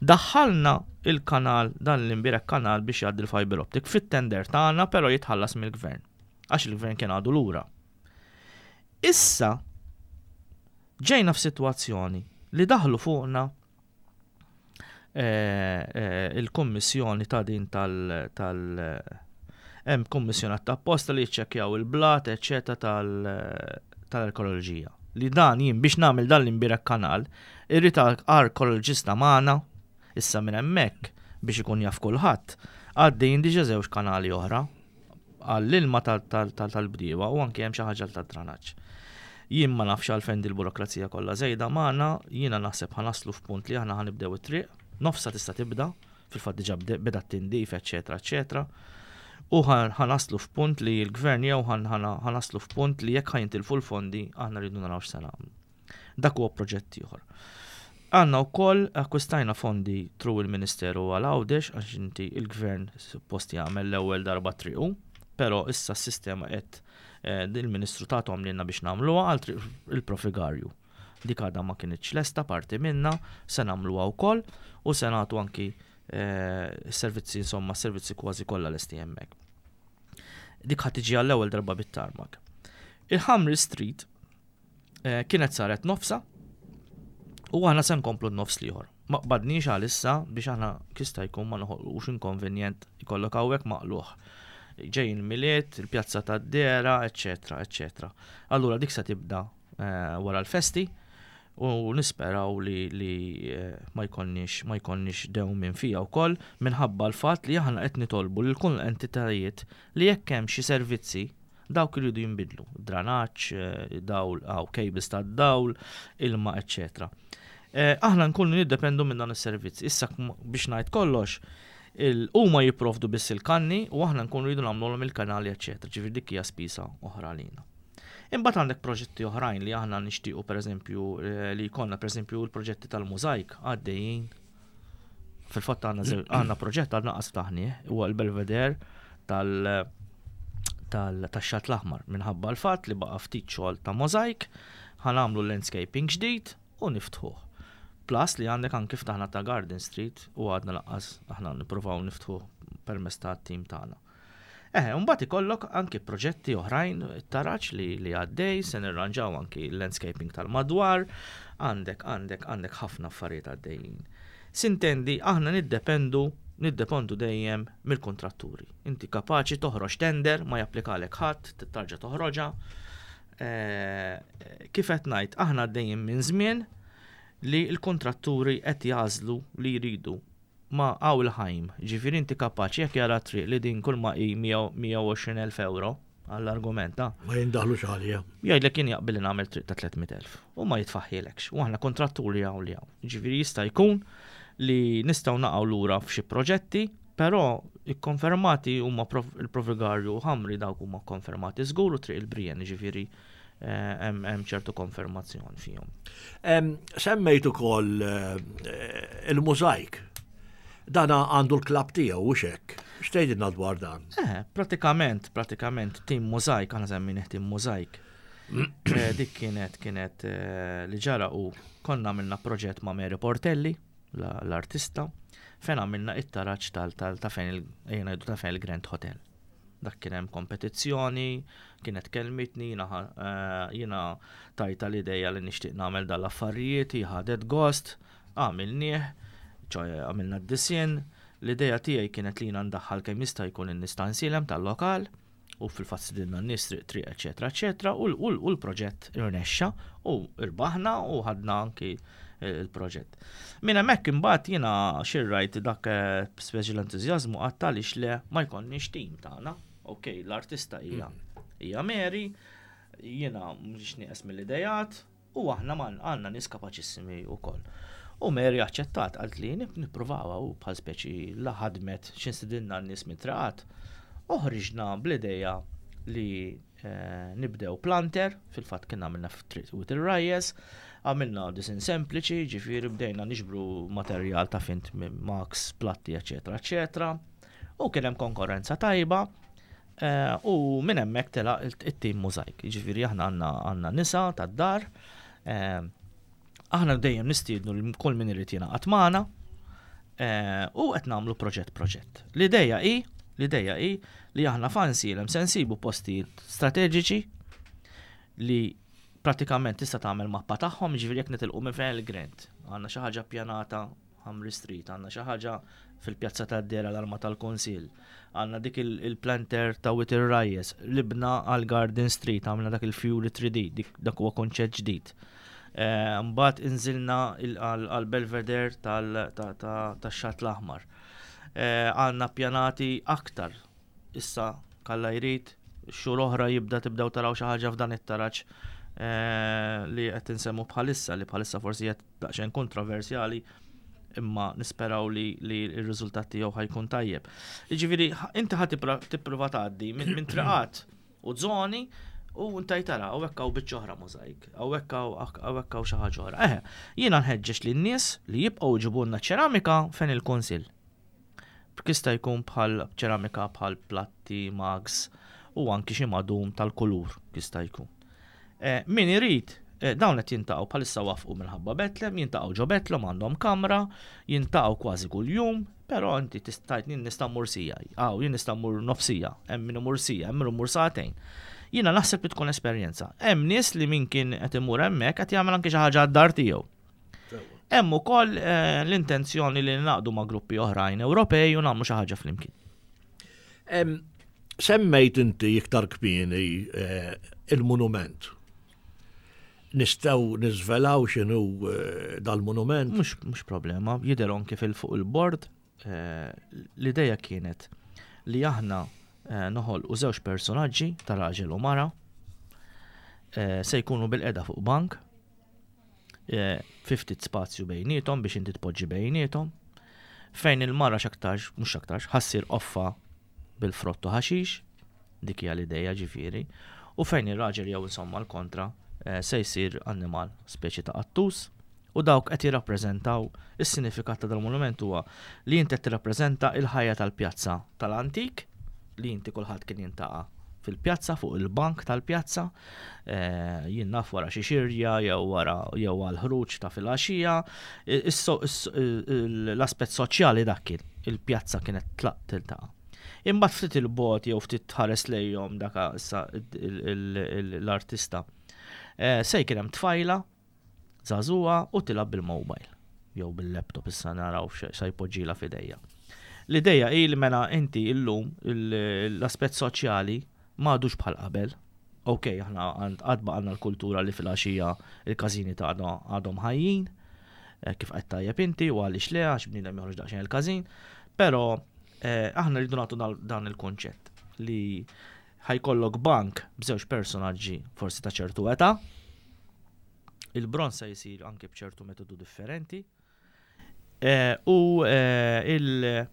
daħħalna il-kanal, dan l-imbierek kanal biex jgħaddi l-fiber optic fit-tender tagħna, però jitħallas mill-gvern. Għax il-gvern kien għadu lura. Issa ġejna f'sitwazzjoni li daħlu fuqna eh, eh, il-kommissjoni ta' din tal- tal hemm kummissjoni ta' apposta li jiċċekkjaw il-blat, eċċetera, tal-arkeoloġija. Li dan jien biex nagħmel dan l-imbierek kanal, irrid arkeoloġista magħna. Issa minn hemmhekk biex ikun jaf kulħadd, għaddejjin diġà żewġ kanali oħra għall-ilma tal-bdiewa u anke hemm xi ħaġa tad-dranaġġ. Jien ma nafx għalfejn il-burokrazija kollha żejda magħna, jiena naħseb ħa naslu f'punt li aħna ħa nibdew it-triq, nofsa tista' tibda, fil-fatt diġà beda t-tindif, eċetera, eċetera. U ħa naslu f'punt li l-gvern jew ħa naslu f'punt li jekk ħa jintilfu l-fondi, aħna rridu naraw x'se nagħmlu. Dak huwa proġett ieħor. Għandna wkoll akkwistajna fondi through il-Ministeru għal Għawdex għax inti il-gvern suppost jagħmel l-ewwel darba triqu, però issa s-sistema qed eh, il-Ministru tagħhom lilna biex nagħmluha għal il-Profigarju. Dik għadha ma kinitx lesta parti minna, se nagħmluha wkoll u se nagħtu anki eh, servizzi, insomma, servizzi kważi kollha lesti hemmhekk. Dik ħa tiġi għall-ewwel darba bit-tarmac. Il-Ħamri Street eh, kienet saret nofsa u aħna se nkomplu n-nofs l-ieħor. Ma qbadniex għalissa biex aħna jista' jkun ma noħolqux inkonvenjent, ikollok hawnhekk maqluħ. Ġejjin Milied, il-pjazza tad-Dera, eċetera, eċetera. Allura dik se tibda eh, wara l-festi u nisperaw li, li eh, ma jkollniex ma jkollniex dewmien fija wkoll minħabba l-fatt li aħna qed nitolbu lil kull entitajiet li jekk hemm xi servizzi dawk iridu jinbidlu, dranaġġ, eh, dawl, aw cables tad-dawl, ilma, eċetera. Eh, aħna nkunu niddependu minn dan is-servizz. Issa biex ngħid kollox, huma jipprovdu biss il-kanni u aħna nkunu rridu nagħmluhom il-kanali, eċetera. Ġifieri dik hija spiża oħra għalina. Imbagħad għandek proġetti oħrajn li aħna nixtiequ, pereżempju eh, li jkollna, pereżempju l-proġetti tal-mużajk għaddejjin. Fil-fatt għandna għandna proġett għadna qas ftaħnieh, huwa l-Belvedere tal- tal-Xatt l-Aħmar minħabba l-fatt li baqa' ftit xogħol ta' mozaik, ħa nagħmlu landscaping ġdid u niftħuh. Plus li għandek anki ftaħna ta' Garden Street u għadna lanqas aħna nippruvaw niftħu permezz ta' tim tagħna. Eh, mbagħad ikollok anki proġetti oħrajn, taraġ li li għaddej, se nirranġaw anki landscaping tal-madwar, għandek għandek għandek ħafna affarijiet għaddejjin. S'intendi, aħna niddependu niddependu dejjem mill-kontratturi. Inti kapaċi toħroġ tender, ma japplikalek ħadd, tarġa' toħroġha. Eh, kif qed ngħid, aħna għaddejjin minn żmien li l-kontratturi qed jażlu li jridu ma għaw il-ħajm. Ġifieri inti kapaċi jekk jara triq li din kull ma hi mija u għoxrin elf euro għall-argument ta' Ma jindaħlu xalija. Jgħidlek jien jaqbil li nagħmel triq ta' tliet mitt elf u ma jitfaħħilekx. U aħna kontratturi hawn li hawn. Ġifieri jista' jkun li nistgħu naqgħu lura f'xi proġetti, però ikkonfermati huma il-Provigarju u Ħamri, dawk huma konfermati żgur, u Triq il-Brienn, ġifieri eh, hemm ċertu konfermazzjoni fihom. Semmejt ukoll eh, il-mużajk. Dana għandu l-klab tiegħu u xek. X'tgħidilna dwar dan? Eh, pratikament, pratikament tim mużajk, aħna semminih tim mużajk. Eh, dik kienet kienet eh, li ġara u konna għamilna proġett ma' Mary Portelli, l-artista, fejn għamilna it-taraġ tal ta' fejn il ta' fejn il-Grand Hotel. Dak kien hemm kompetizzjoni, kienet kelmitni, jiena eh, jiena tajtha l-ideja li nixtieq nagħmel dal-affarijiet, ħadet gost, għamilnieh, ċoè għamilna d-disinn. L-ideja tiegħi kienet li jiena ndaħħal kemm jista' jkun in-nies ta' Għajnsielem tal-lokal, u fil-fatt stedinna n-nies triq triq, eċetera, eċetera, u l-proġett irnexxa u irbaħna u ħadna anki il-proġett. Minn hemmhekk imbagħad jiena xirrajt dak eh, speċi l-entużjażmu, għedt għaliex le ma jkollniex tim tagħna. Ok, l-artista hija hija Mary, jiena mhux nieqes mill-idejat u aħna għandna nies kapaċissimi wkoll. U Mary aċċettat, għalt li nippruvawha u bħal speċi la ħadmet x'instidinna n-nies mit-triqat. Uħriġna bl-ideja li eh, nibdew planter, fil-fatt kien għamilna f'Triq Wied ir-Rajjes, għamilna disinn sempliċi, ġifieri bdejna niġbru materjal ta' fint mugs, platti, eccetera, eccetera. U kien hemm konkurrenza tajba, eh, u minn hemmhekk tela it-tim Mużajk. Ġifieri aħna għandna għandna nisa tad-dar, eh, aħna dejjem nistiednu li kull min irid jingħaqad magħna, u qed nagħmlu proġett proġett. L-ideja hi L-ideja hi li aħna f'Għajnsielem se nsibu postijiet strateġiċi li pratikament tista' tagħmel mappa tagħhom, ġifieri jekk nitilqu minn fejn il-Grand. Għandna xi ħaġa ppjanata Hamri Street, għandna xi ħaġa fil-Pjazza tad-Dera, l-Arma tal-Kunsill. Għandna dik il-planter ta' Wied ir-Rajjes, libna għal Garden Street, għamilna dak il-Fury three D, dik dak huwa konċett ġdid. Eh, mbagħad inżilna għal Belvedere tax-Xatt l-Aħmar. Eh, għandna pjanati aktar. Issa kalla jrid xhur oħra jibda tibdew taraw xi ħaġa f'dan it-taraġ eh, li qed insemmu bħalissa, li bħalissa forsi qed daqsxejn kontroversjali, imma nisperaw li, li r-riżultat tiegħu ħa jkun tajjeb. Jiġifieri inti ħa tipprova tgħaddi minn min triqat u żoni u inti tara hawnhekk hawn biċċa oħra mużajk, hawnhekk hawnhekk hawn xi ħaġa oħra. Eħe, jiena nħeġġeġ lin-nies li jibqgħu jġibulna ċeramika fejn il-kunsill. Jista' jkun bħal ċeramika, bħal platti, mugs u anki xi madum tal-kulur jista' jkun. Eh, min irid, eh, dawn qed jiltaqgħu bħalissa, waqfu minħabba Betlem, jiltaqgħu ġo Betlem, għandhom kamra, jiltaqgħu kważi kuljum, però inti tista' tgħid jien nista' mmur siegħa, aw jien nista' mmur nofs siegħa, hemm min imur siegħa, hemm min imur sagħtejn. Jiena naħseb li tkun esperjenza. Hemm nies li min kien qed imur hemmhekk qed jagħmel anke xi ħaġa għad-dar tiegħu. Hemm ukoll eh, l-intenzjoni li naqdu ma' gruppi oħrajn Ewropej u nagħmlu xi ħaġa flimkien. Semmejt inti iktar kmieni eh, il-monument. Nistgħu niżvelaw x'inhu eh, dal-monument? Mhux mhux problema, jidher anke fil-fuq il-bord. L-ideja kienet li aħna noħolqu żewġ personaġġi ta' raġel u mara, se jkunu bilqiegħda fuq bank, fi ftit spazju bejniethom biex inti tpoġġi bejniethom, fejn il-mara x'aktarx, mhux x'aktarx, ħa ssir qoffa bil-frott u ħaxix, dik hija l-ideja ġifieri, u fejn ir-raġel, jew insomma l-kontra, eh, se jsir annimal, speċi ta' qattus, u dawk qed jirrappreżentaw, is-sinifikat ta' dal-monument huwa li inti qed tirrappreżenta il-ħajja tal-pjazza tal-antik, li inti kulħadd kien jiltaqa' fil-pjazza, fuq il-bank tal-pjazza, eh, jien naf wara xi xirja jew wara jew għal ħruġ ta' filgħaxija, l-aspett soċjali dak kien, il-pjazza kienet tlaq tiltaqa'. Imbagħad ftit il-bogħod jew ftit tħares lejhom, daka issa l-artista. Eh, se jkun hemm tfajla żagħżugħa u tilgħab bil-mobile jew bil-laptop, issa naraw sa jpoġġila f'idejja. L-ideja hi li mela inti illum l-aspett soċjali m'għadux bħal qabel. Ok, aħna għad baqgħalna l-kultura li fil-għaxija il-każini ta' għadhom ħajjin, eh, kif qed tajjeb inti, u għaliex le, għax bniedem joħroġ daqsxejn il-każin, però eh, aħna rridu nagħtu dan il-konċett li ħa jkollok bank b'żewġ personaġġi forsi ta' ċertu età, il-bronz se jsir anke b'ċertu metodu differenti, eh, u il-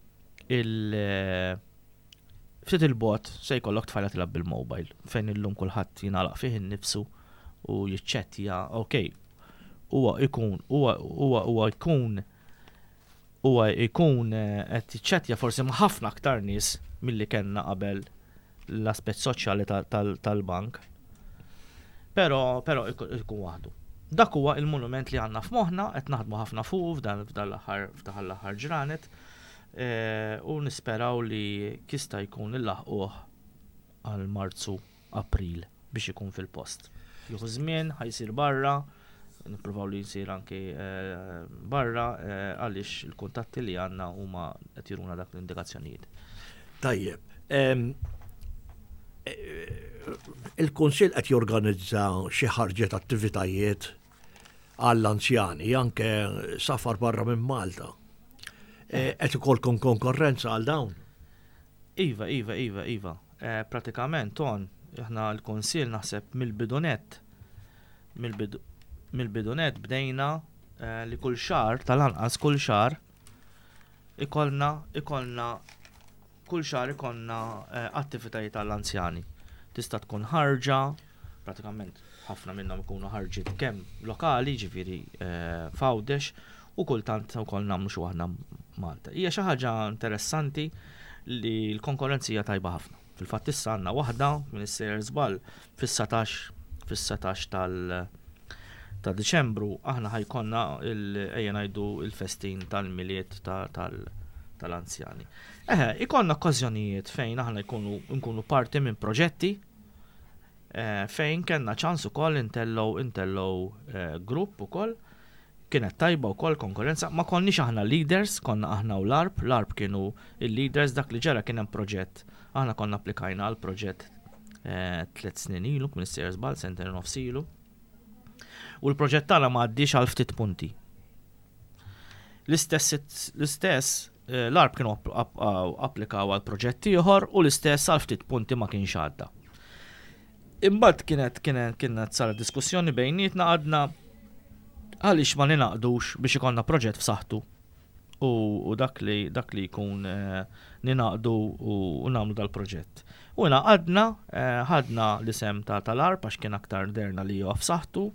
il- ftit il-bogħod se jkollok tfajla tilgħab bil-mobile, fejn illum kulħadd jingħalaq fih innifsu u jiċċettja, ok, huwa ikun huwa huwa huwa jkun huwa jkun eh, qed jiċċettja forsi ma' ħafna aktar nies milli kellna qabel l-aspett soċjali tal-bank. Però però ikun waħdu. Dak huwa il-monument li għandna f'moħħna, qed naħdmu ħafna fuq f'dan l-aħħar f'dan l-aħħar ġranet eh, u nisperaw li jista' jkun nilħquh għal Marzu, April biex ikun fil-post. Jieħu żmien, ħa jsir barra, nippruvaw li jsir anki eh, barra eh, għaliex il-kuntatti li għandna huma qed juruna dak l-indikazzjonijiet. Tajjeb. Em, eh, Il-Kunsill qed jorganizza xi ħarġet attivitajiet għall-anzjani, anke safar barra minn Malta. Eh, Qed ikollkom konkurrenza għal dawn? Iva, iva, iva, iva. Eh, Pratikament, ton, aħna l-Kunsill naħseb mill-bidu nett, mill-bidu nett bdejna eh, li kull xahar, tal-anqas kull xahar, ikollna, ikollna, kull xahar ikollna eh, attivitajiet tal-anzjani. Tista' tkun ħarġa, pratikament ħafna minnhom ikunu ħarġiet kemm lokali, ġifieri eh, f'Għawdex, u kultant ukoll nagħmlu xi waħda Malta. Hija xi ħaġa interessanti li l-konkurrenza hija tajba ħafna. Fil-fatt issa għandna waħda minn sejjer żball fis-satax fis-satax tal ta' Diċembru aħna ħa jkollna ejja ngħidu il-festin tal-Milied tal-anzjani. Eħe, ikollna okkażjonijiet fejn aħna jkunu nkunu parti minn proġetti eh, fejn kellna ċans ukoll intellgħu intellgħu eh, grupp ukoll. Kienet tajba wkoll konkurrenza, ma konniex aħna leaders, konna aħna u l-A R P, l-A R P kienu il-leaders. Dak li ġara, kien hemm proġett, aħna konna applikajna għal proġett eh, tliet snin ilu, minn sejjer żball, sentejn nofs ilu. U l-proġett tagħna ma għaddiex għal ftit punti. L-istess l-istess eh, l-A R P kienu applikaw għal proġett ieħor u l-istess għal ftit punti ma kienx għadda. Imbagħad kienet kienet kienet saret diskussjoni bejnietna, għadna għaliex ma ninaqdux biex ikollna proġett f'saħħtu u, u dak li dak li jkun eh, ninaqdu u, u nagħmlu dal-proġett. U naqadna, eh, ħadna l-isem ta' tal-A R P għax kien aktar derna li huwa f'saħħtu,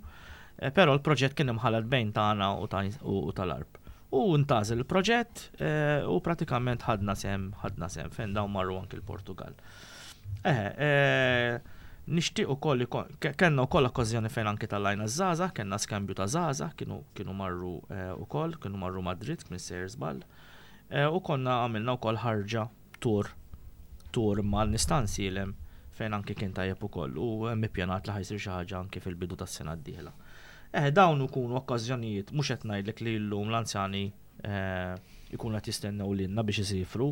eh, però l-proġett kien imħallat bejn tagħna u u tal-A R P. U ntgħażel il-proġett eh, u pratikament ħadna sehem ħadna sehem fejn dawn marru anki l-Portugal. Eh, eh, nixtieq ukoll kellna wkoll okkażjoni fejn anki tellajna żgħażagħ, kellna skambju ta' żgħażagħ, kienu kienu marru ukoll, kienu marru Madrid, minn sejjer żball. U konna għamilna wkoll ħarġa tur tur mal nistansilem fejn anki kien tajjeb ukoll u hemm ippjanat li ħa jsir xi ħaġa anki fil-bidu tas-sena d-dieħla. Eh, dawn ikunu okkażjonijiet, mhux qed ngħidlek li llum l-anzjani eh, ikunu qed jistennew lilna biex isifru,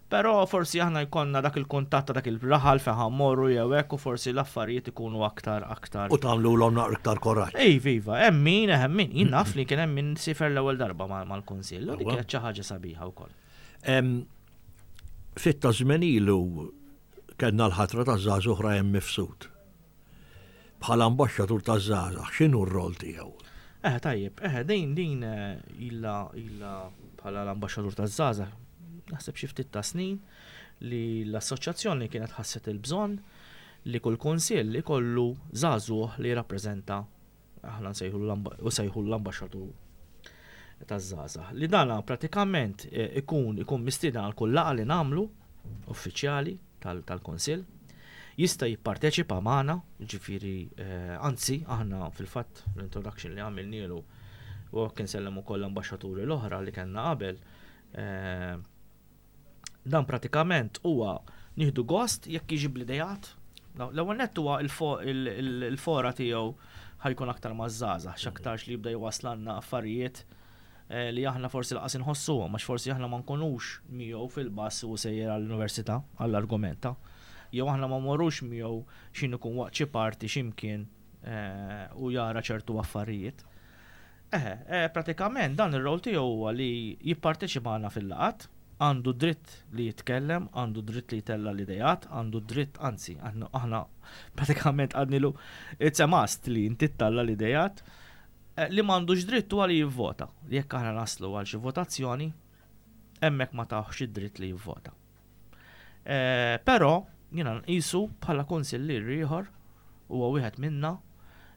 però forsi aħna jkollna dak il-kuntatt ta' dak il-raħal fejn ħa mmorru jew hekk u forsi l-affarijiet ikunu aktar aktar. U tagħmluhom naqra iktar koraġġ. Ej, viva, hemm min, hemm min, jien naf li kien hemm min sifer l-ewwel darba mal-kunsill, u dik kienet xi ħaġa sabiħa wkoll. Ftit ta' żmien ilu kellna l-ħatra ta' żagħżugħ Ryan Mifsud bħala ambaxxatur ta' żgħażagħ, x'inhu r-rol tiegħu? Eh, tajjeb, eh, din din eh, illa illa bħala l-ambaxxatur ta' żgħażagħ, naħseb xi ftit ta' snin li l-assoċjazzjoni kienet ħasset il-bżonn li kull kunsill ikollu żagħżugħ li jirrappreżenta, aħna nsejħu u sejħu l-ambaxxatur taż-żgħażagħ. Li dana pratikament eh, ikun ikun mistieden għal kull laqgħa li nagħmlu uffiċjali tal-kunsill, jista' jipparteċipa magħna, ġifieri eh, anzi aħna fil-fatt l-introduction li għamilnielu u kien sellem ukoll l-ambaxxaturi l-oħra li kellna qabel. Eh, dan pratikament huwa nieħdu gost jekk jiġi bl-idejat. L-ewwel nett huwa il-fora tiegħu ħa jkun aktar maż-żgħażagħ, x'aktarx li jibda jwaslalna affarijiet eh, li aħna forsi lanqas inħossuhom, għax forsi aħna ma nkunux miegħu fil-bus u sejjer għall-università għall-argumenta. Jew aħna ma morrux miegħu x'in ikun waqt xi party x'imkien eh, u jara ċertu affarijiet. Eh, eh, pratikament dan ir-rol tiegħu huwa li jipparteċipana fil-laqat, għandu dritt li jitkellem, għandu dritt li jtella l-idejat, għandu dritt, anzi, aħna aħna pratikament għednilu it's a must li inti ttella l-idejat, eh, li m'għandux dritt huwa li jivvota. Jekk aħna naslu għal xi votazzjoni, hemmhekk ma tawx id-dritt li jivvota. Eh, Però jiena nqisu bħala konsillier ieħor, huwa wieħed minna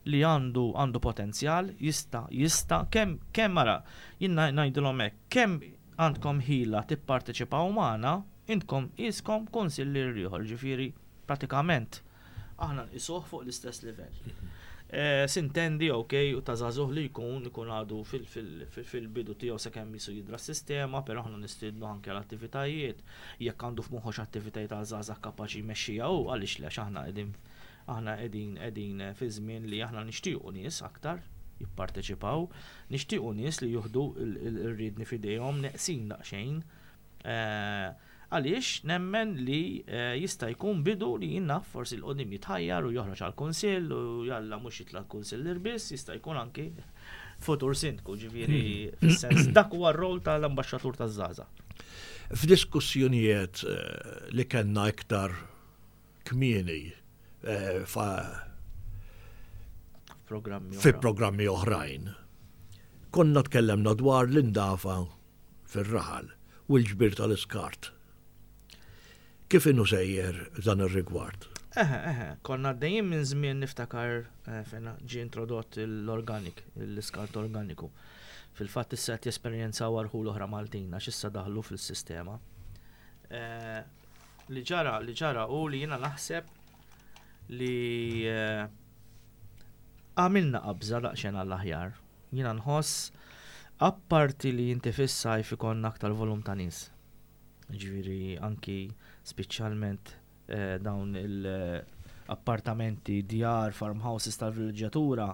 li għandu għandu potenzjal, jista' jista' kemm kemm mara jien ngħidilhom hekk, kemm għandkom ħila tipparteċipaw magħna, intkom iskom konsillier ieħor, ġifieri pratikament aħna nqisuh fuq l-istess livell. Eh, S'intendi, ok, u ta' żagħżugħ li jkun ikun għadu fil-bidu tiegħu sakemm jisu jidra s-sistema, però aħna nistiednu anke l-attivitajiet, jekk għandu f'moħħu attivitajiet ta' żgħażagħ kapaċi jmexxija u għaliex le, aħna qegħdin aħna qegħdin qegħdin fi żmien li aħna nixtiequ nies aktar jipparteċipaw, nixtiequ nies li juħdu ir-riedni f'idejhom, neqsin daqsxejn. Eh, għaliex nemmen li eh, jista' jkun bidu li jiena forsi 'l quddiem jitħajjar u joħroġ għal kunsill u jalla mhux jitla' kunsill biss, jista' jkun anki futur sindku, ġifieri fis-sens dak huwa r-rol tal-ambaxxatur taż-żgħażagħ. F'diskussjonijiet eh, li kellna iktar kmieni eh, fa' Programmi fi programmi oħrajn, konna tkellemna dwar l-indafa fir-raħal u l-ġbir tal-iskart. Kif inhu sejjer dan ir-rigward? Eħe, eħe, konna għaddejjin minn żmien, niftakar eh, fejn ġie introdott l-organic, l-iskart organiku. Fil-fatt issa qed jesperjenzaw rħula oħra Maltin għax issa daħlu fil-sistema. Eh, li ġara, li ġara u li jiena naħseb li eh, għamilna qabża daqsxejn għall-aħjar. Jiena nħoss apparti li inti fis-sajf ikollna aktar volum ta' nies. Ġifieri anki speċjalment eh, dawn il-appartamenti, djar, farmhouses tal-vilġatura,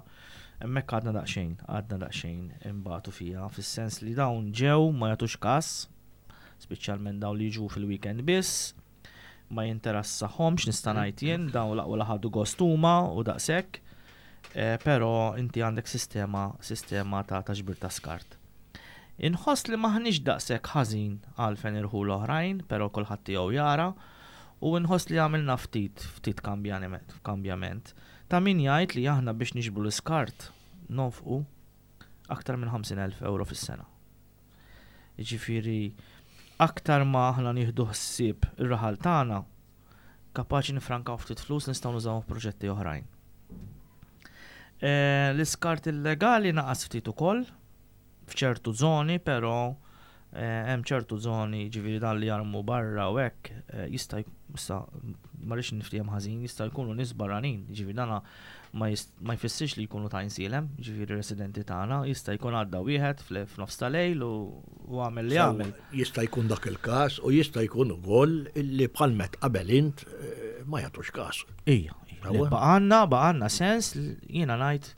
hemmhekk għadna daqsxejn, għadna daqsxejn imbatu fija, fis-sens li dawn ġew ma jagħtux kas, speċjalment dawn li jiġu fil-weekend biss, ma jinteressahomx, nista' ngħid jien, dawn l-aqwa la ħadu gost huma u daqshekk, eh, però inti għandek sistema sistema ta' ta' ġbir ta' skart. Inħoss li maħniex daqshekk ħażin għalfejn irħul oħrajn, però kulħadd tiegħu jara, u nħoss li għamilna ftit ftit kambjament, kambjament. Ta' min jgħid li aħna biex niġbru l-iskart nonfqu aktar minn ħamsin elf euro fis-sena. Jiġifieri aktar ma aħna nieħdu ħsieb ir-raħal tagħna, kapaċi nifrankaw ftit flus, nistgħu nużawhom f'proġetti oħrajn. Eh, L-iskart illegali naqas ftit ukoll f'ċertu zoni, però eh, hemm ċertu zoni, ġifieri dan li jarmu barra u hekk eh, jista' jk- issa ma rridx niftiehem ħażin, jista' jkunu nies barranin, ġifieri dana ma jist- ma jfissirx li jkunu ta' Għajnsielem, ġifieri residenti tagħna, jista' jkun għadda wieħed fl- f'nofs ta' lejl u u għamel li għamel. Jista' jkun dak il-każ u jista' jkun ukoll li bħal met qabel int eh, ma jagħtux każ. Ija, ija. Sewwa. Baqgħanna, baqgħanna sens, jiena ngħid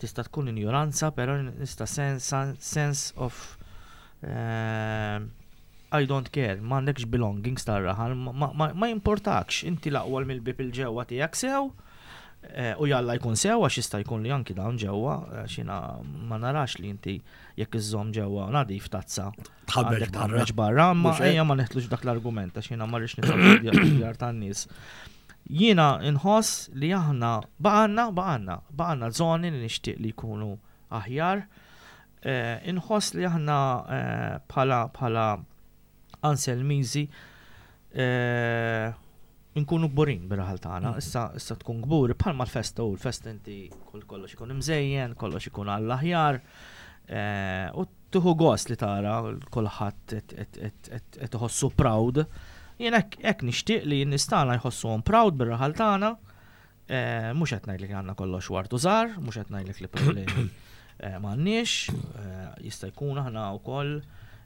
tista' tkun ignoranza, però nista' sens, sense of eh, I don't care, m'għandekx belongings tar-raħal, ma, ma, ma jimportakx, inti l-aqwa mill-bib il-ġewwa tiegħek sew, eh, u jalla jkun sew, għax jista' jkun li anki dawn ġewwa, għax jiena ma narax li inti jekk iżżomm ġewwa nadif tazza Tħammeġ għandek barra. tħammeġ barra, ma Mhux hekk? ejja ma neħtlux dak l-argument, għax jiena ma rridx nidħol djar tan-nies. Jiena nħoss li aħna baqgħanna, baqgħanna, baqgħanna zoni li nixtieq li jkunu aħjar. Eh, Inħoss li aħna eh, bħala bħala Anselmiżi eh, nkunu kburin bir-raħal tagħna. Issa issa tkun kburi bħalma l-festa, u l-festa inti kull kollox ikun imżejjen, kollox ikun għall-aħjar. Eh, U tieħu gost li tara kulħadd qed iħossu proud. Jien hekk hekk nixtieq li n-nies tagħna jħossuhom proud bir-raħal tagħna. Eh, Mhux qed ngħidlek li għandna kollox ward u żahar, mhux qed ngħidlek li problemi eh, m'għandniex, eh, jista' jkun aħna wkoll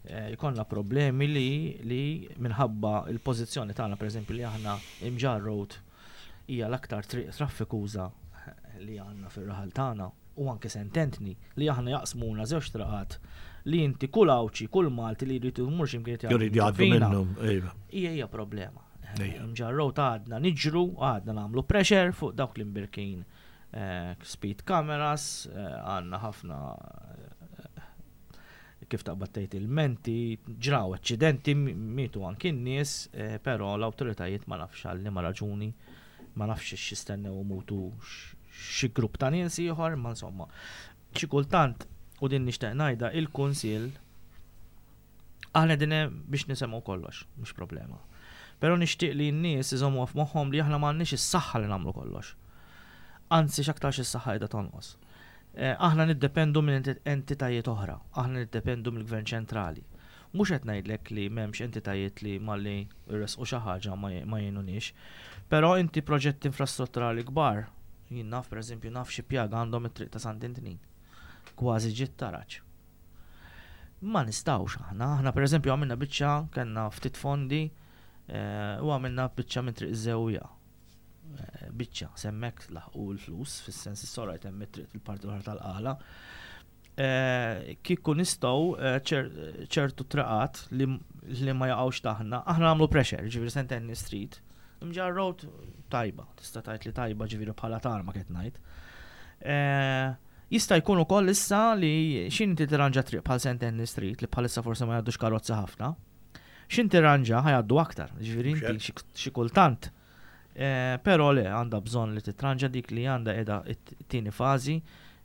eh, jkollna problemi li li minħabba il-pożizzjoni tagħna, pereżempju li aħna Imġarr Road hija l-aktar triq traffikuża li għandna fir-raħal tagħna, u anke sententni li aħna jaqsmuna żewġ traqat li inti kull Għawdxi, kull Malti li jrid imur x'imkien Jrid jgħaddu fina. minnhom, iva. Hija hija problema. Ejja. Imġarr Road għadna niġru, għadna nagħmlu pressure fuq dawk l-imbirkin eh, speed cameras, eh, għandna ħafna eh, kif taqbad tgħid il-menti, ġraw aċċidenti, mietu anki n-nies, eh, però l-awtoritajiet ma nafx għal liema raġuni, ma nafx x'jistennew mutu xi grupp ta' nies ieħor, ma insomma. Xi kultant, u din nixtieq ngħidha, il-kunsill aħna din biex nisemgħu kollox, mhux problema. Però nixtieq li n-nies iżommu f'moħħhom li aħna m'għandniex is-saħħa li nagħmlu kollox. Anzi, x'aktarx is-saħħa qiegħda tonqos. Eh, aħna niddependu minn entitajiet oħra, aħna niddependu mill-Gvern ċentrali. Mhux qed ngħidlek li m'hemmx entitajiet li malli jressqu xi ħaġa ma jgħinunix, però inti proġetti infrastrutturali kbar Jien naf, per eżempju, naf xi pjaga għandhom it-triq ta' Sant'Antnin. Kważi ġiet taraġ. Ma nistgħux aħna, aħna per eżempju għamilna biċċa, kellna ftit fondi eh, u għamilna biċċa minn Triq Żewja. Eh, Biċċa, s'hemmhekk laħqu l-flus, fis-sens is-sorajt hemm it-triq il-parti l-oħra tal-qala. Eh, Kieku nistgħu eh, ċer- ċertu triqat li, li ma jaqgħux taħna, aħna nagħmlu pressure, ġifieri Saint Anthony Street. Mġarr Road tajba, tista' tgħid li tajba, ġifieri bħala tarma qed ngħid. Eh, Jista' jkun ukoll issa li x'ħin inti tirranġa triq bħal Saint Anthony Street, li bħalissa forsi ma jgħaddux karozza ħafna. X'ħin tirranġa ħa jgħaddu aktar, ġifieri inti xi- xi kultant. Eh, Però le, għandha bżonn li titranġa dik li għandha qiegħda it-tieni fażi,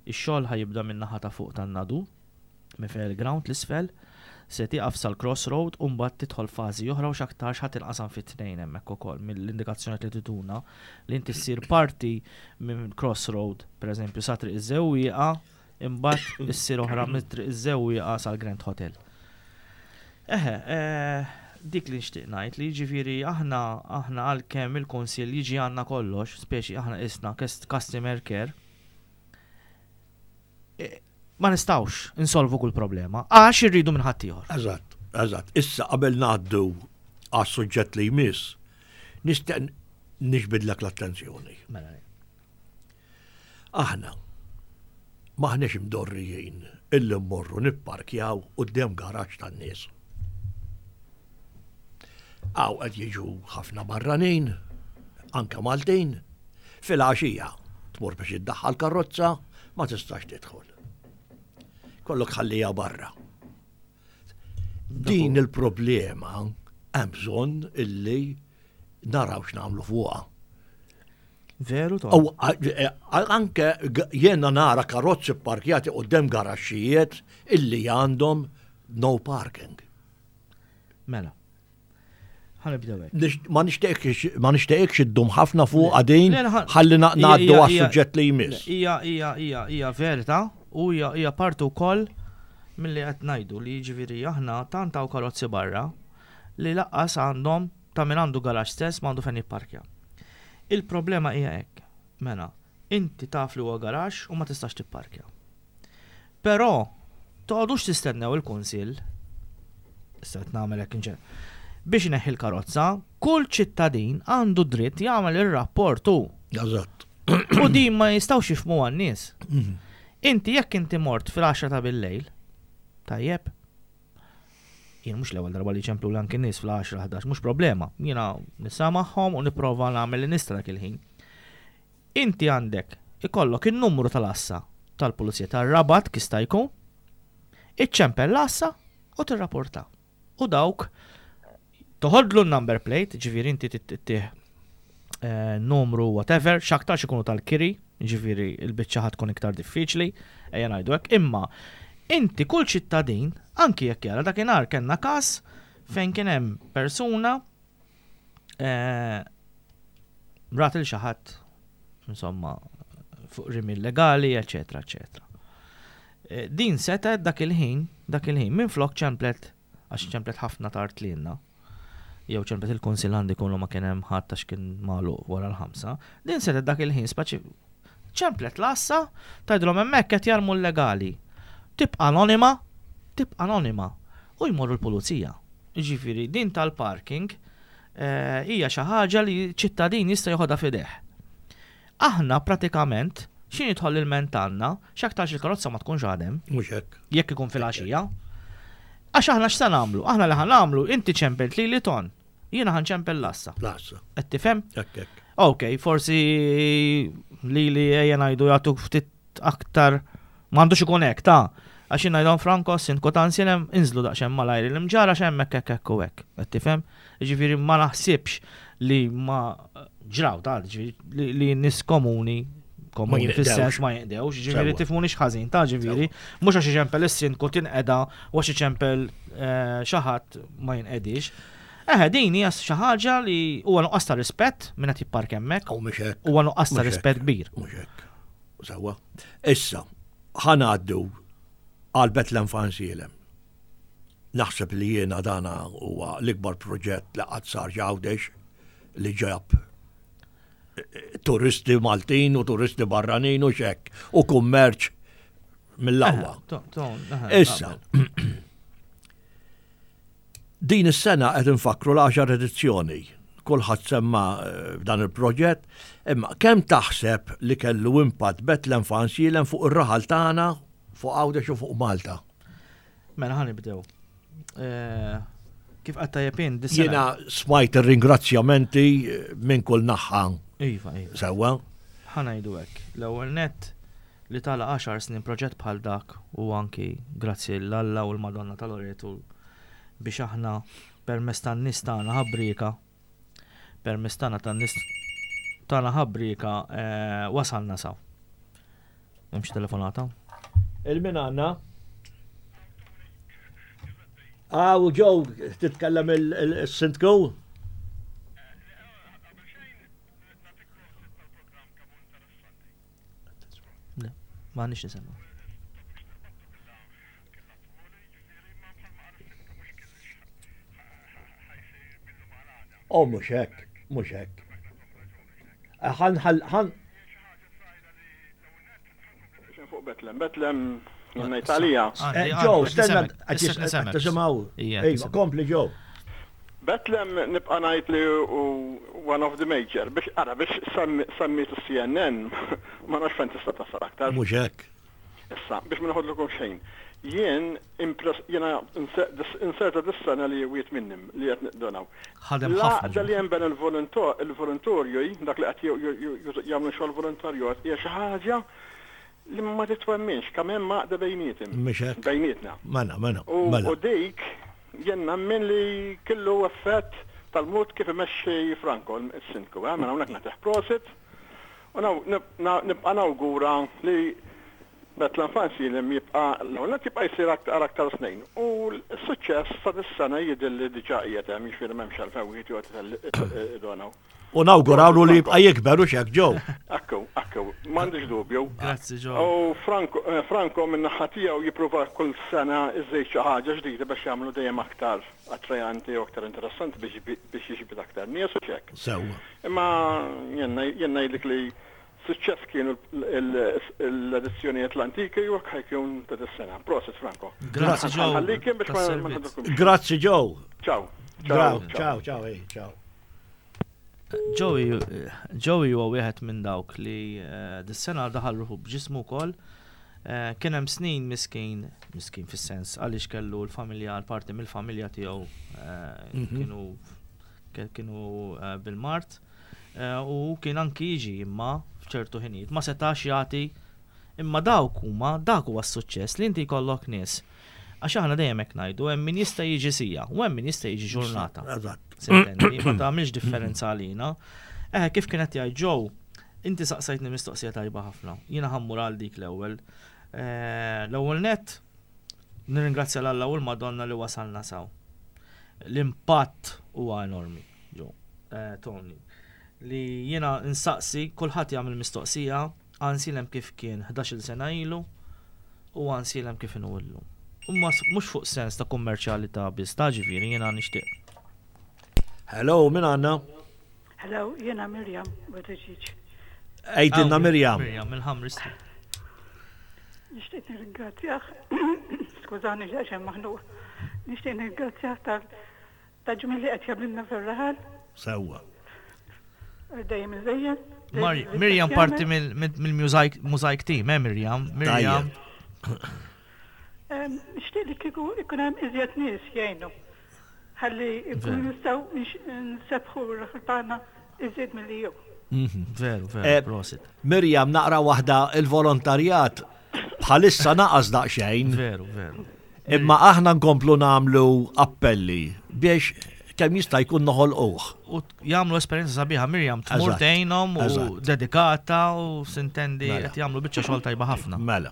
ix-xogħol ħa jibda minn naħa ta' fuq tan-Nadur, minn fejn il-ground l-isfel, se tieqaf sal-crossroad u mbagħad tidħol fażi oħra u x'aktarx ħa tinqasam fit-tnejn hemmhekk ukoll mill-indikazzjoni li tituna li inti ssir parti minn crossroad, pereżempju sa Triq iż-Żewwieqa, imbagħad issir oħra minn Triq iż-Żewwieqa sal-Grand Hotel. Eħe, eh, dik li nixtieq ngħid, li jiġifieri aħna aħna għalkemm il-kunsill jiġi għandna kollox, speċi aħna isna customer care, eh, ma nistgħux insolvu kull problema, għax irridu minn ħaddieħor. Eżatt, eżatt. Issa qabel ngħaddu għas-suġġett li jmiss, nixtieq niġbidlek l-attenzjoni. Mela, Aħna maħniex imdorrijin illi mmorru nipparkjaw quddiem garaġġ tan-nies. Hawn qed jiġu ħafna barranin, anke Maltin, fil-għaxija tmur biex iddaħħal karozza, ma tistax tidħol. Kollok ħallija barra. Din il-problema hemm bżonn illi naraw x'nagħmlu fuqha. Veru to. Aw, a- e- anke g- jiena nara karozzi parkjati quddiem garaxxijiet illi għandhom no parking. Mela. Ħa nibdew hekk. Nix- Ma nixtieqx ma nixtieqx iddum ħafna fuq għadin Le, le, ħa- ħalli na- Hija- ngħaddu hija- għas-suġġett li jmiss. Hija hija hija hija verità u hija hija parti wkoll milli qed ngħidu li jiġifieri aħna tant hawn karozzi barra li lanqas għandhom ta' min għandu garaxx stess ma għandu fejn jipparkja. Il-problema hija hekk. Mela, inti taf li huwa garaxx u ma tistax tipparkja. Però toqgħodux tistennew il-kunsill, issa qed nagħmel hekk inġen, biex ineħħi l-karozza, kull ċittadin għandu dritt jagħmel ir-rapport hu. Eżatt. U din ma jistgħux jifhmu għan-nies. Inti jekk inti mort fil-għaxra ta' bil-lejl, tajjeb, jien mhux l-ewwel darba li ċemplu anki nies fl-għaxra ħdax, mhux problema. Jiena nisa magħhom u nipprova nagħmel li nista' dak il-ħin. Inti għandek ikollok in-numru tal-għassa tal-pulizija tar-Rabat kista jkun, iċċempel l-għassa u tirrapporta. U dawk toħodlu n-number plate, ġifieri inti tittih eh, numru whatever, x'aktarx ikunu tal-kiri, ġifieri il-biċċa ħa tkun iktar diffiċli, ejja ngħidu hekk, imma inti kull ċittadin, anki jekk jara dakinhar kellna każ fejn kien hemm persuna eh, rat il xi ħadd insomma fuq rimi illegali, eċetera, eċetera. Eh, Din setet dak il-ħin, dak il-ħin, minn flok ċemplet, għax ċemplet ħafna tard lilna, jew ċemplet il-kunsill għandi kollu ma kien hemm ħadd għax kien magħluq wara l-ħamsa, din setet dak il-ħin speċi ċemplet l-għassa, tgħidilhom hemmhekk qed jarmu illegali. Tibqa' anonima, tibqa' anonima u jmorru l-pulizija. Ġifieri din tal-parking eh, hija xi ħaġa li ċittadin jista' joħodha f'idejh. Aħna pratikament x'ħin jidħol il-ment għandna, x'aktarx il-karozza ma tkunx għadem, Mhux hekk. jekk ikun fil-għaxija. Għax aħna x'sa nagħmlu? Aħna li ħa nagħmlu, inti ċempelt li li ton. Jiena ħa nċempel l-għassa. L-għassa. Qed tifhem? Hekk hekk. Ok, forsi li li ejja ngħidu jagħtuk ftit aktar, m'għandux ikun hekk ta' għax jien ngħidhom Franco, sindku ta' Għajnsielem, inżlu daqsxejn malajr il-Mġarr għax hemmhekk hekk hekk u hekk. Qed tifhem? Ġifieri ma naħsibx li ma ġraw ta' ġifieri li, li nies komuni komuni Ma fis-sens ma jinqdewx, ġifieri Sewwa. tifhmunix ħażin ta' ġifieri, mhux għax iċempel is-sindku tinqeda u għax iċempel eh, xi ħadd ma jinqedix. Eħe, din hija xi ħaġa li huwa nuqqas ta' rispett minn qed jippark hemmhekk, U mhux hekk. huwa nuqqas ta' Mhux hekk. rispett kbir. Mhux hekk. Sewwa. Issa, ħa ngħaddu għal Bethlehem f'Għajnsielem. Naħseb li jiena dana huwa l-ikbar proġett li qatt sar Għawdex li ġab Turisti Maltin u turisti barranin u xek u kummerċ mill-aqwa. Issa, din is-sena qed infakkru l-għaxar edizzjoni. Kulħadd semma eh, f'dan il-proġett, imma kemm taħseb li kellu impatt Betlem f'Għajnsielem fuq ir-raħal tagħna, fuq Għawdex u fuq Malta? Mela ħa nibdew. Eh, Kif qatt tajjeb int, dis-sena. Jiena smajt ir-ringrazzjamenti eh, minn kull naħa. Iva, iva. Sewwa? Ħa ngħidu hekk. L-ewwel net li tala għaxar snin proġett bħal dak u anki grazzi 'l Alla u l-Madonna ta' Loreto biex aħna permezz tan-nies tagħna ħabrieka permezz tagħna tan-nies tagħna ħabrieka eh, wasalna s'hawn. Hemmx telefonata? Il-min għandna? Ah, u Joe, titkellem il-Sindku? Le, ma nix nisimgħu. Oh, mhux hekk, mhux hekk. Ħan, ħan, ħan, Fuq Betlem, Betlem, ngħid għalija. Għandi, Eh, Joe, għandi, stenna, qed nisimgħek, issa qed tisimgħu. Ija, Ejva, nisimgħek. kompli Joe. Betlem nibqa' ngħid li hu one of the major biex ara biex semmiet il-C N N ma nafx fejn tista' tasal aktar. Mhux hekk. Issa, biex ma noħodlukom xejn. Jien impress jiena inserta dis-sena li wieħed minnhom li qed niddonaw. Ħadem ħafna. L-għaqda li hemm bejn il-volontorju, dak li qed jagħmlu xogħol volontarju, hija xi ħaġa li ma titwemminx kemm hemm għaqda bejnietim. Mhux hekk. Bejnietna. Mela, mela, U mela. u dik jien nemmen li kellu effett tal-mod kif imexxi Franco, il-sindku, eh, mela hawnhekk nagħtih prosit. U nibqa' nawgura li Betlem f'Għajnsielem jibqa' l-ewwel jibqa' jsir aktar aktar snin. U l-suċċess ta' dis-sena jidher li diġà qiegħed hemm, jiġifieri m'hemmx għalfejn wieħed joqgħod idonaw. U nawgurawlu li jibqa' jikber u xek Joe. Akku, akku, m'għandix dubju. Grazzi Joe. U Franco, eh, Franco minn naħa tiegħu jipprova kull sena iżejt xi ħaġa ġdida biex jagħmlu dejjem aktar attrajanti u aktar interessanti biex biex jiġbed aktar nies u xek. Sewwa. Imma jien jien ngħidlek li suċċess kienu l-edizzjonijiet l-antiki u ħa jkun ta' dis-sena. Prosit Franco. Grazzi Joe. Ħallikim biex ma ma tas-servizz. nħaddukumx. Grazzi Joe. Ciao. Ciao, ciao, ciao, ej, ciao. Joey, Joey huwa wieħed minn dawk li eh, dis-sena daħal ruħu b'ġismu wkoll. Eh, Kien hemm snin miskin, miskin fis-sens għaliex kellu l-familja, l-parti mill-familja tiegħu eh, Mhm. kienu ke- kienu eh, bil-mard Eh, u kien anki jiġi imma f'ċertu ħinijiet ma setax jagħti imma dawk huma dak huwa s-suċċess li inti jkollok nies. Għax aħna dejjem hekk ngħidu hemm min jista' jiġi siegħa u hemm min jista' jiġi ġurnata. Eżatt. S'intendi, ma tagħmilx differenza għalina. Eh, kif kienet jgħid Joe, inti saqsajtni mistoqsija tajba ħafna. Jiena ħa mmur għal dik l-ewwel. Eh, L-ewwel net, nirringrazzja 'l Alla u l-Madonna li wasalna s'hawn. L-impatt huwa enormi, Joe, eh, Tony. Li jiena nsaqsi, kulħadd jagħmel mistoqsija, Għajnsielem kif kien ħdax-il sena ilu u Għajnsielem kif inhu illum. U mhux fuq sens ta' kummerċjalità biss, ta' ġifieri jiena nixtieq. Hello, min għandna? Hello, jiena Mirjam Buttigieg. Għidilna Mirjam. Mirjam, mill-Ħamri Street. Nixtieq nirringrazzjah, skużani ġeċem maħnuq. Nixtieq nirringrazzjah tal ta' ġmiel li qed jagħmlilna fir-raħal, Sewwa. dejjem iżejjen. Mar- Mirjam parti mill-mosaic team, eh Mirjam? Mirjam. Em, Nixtieq li kieku ikun hemm iżjed nies jgħinu. Ħalli ikunu nistgħu nx- nsebbħu r-raħal tagħna iżjed milli jew. Veru, veru, Eh, prosit. Mirjam, naqra waħda il-volontarjat bħalissa naqas daqsxejn, Veru, veru. imma aħna nkomplu nagħmlu appelli biex kemm jista' jkun noħolquh. U t- jagħmlu esperjenza sabiħa Mirjam tmur Eżatt, tgħinhom u eżatt. dedikata u s'intendi Mela. qed jagħmlu biċċa xogħol tajba ħafna. Mela.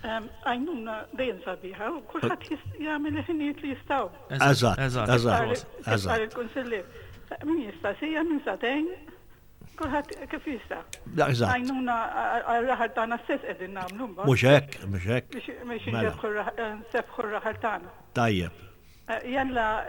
Em, Għajnuna dejjem sabiħa u kulħadd jis- jagħmel il-ħinijiet li jistgħu. Eżatt, eżatt. eżatt. prosit. Eżatt. Il-kunsillier. Min jista' siegħa, min sagħtejn, kulħadd kif jista'. Eżatt. Għajnuna għal-raħal tagħna stess qegħdin nagħmlu mbagħad. Mhux hekk, mhux hekk. Biex biex Mela. nsebbħu r-raħal tagħna. Tajjeb. Eh, Jalla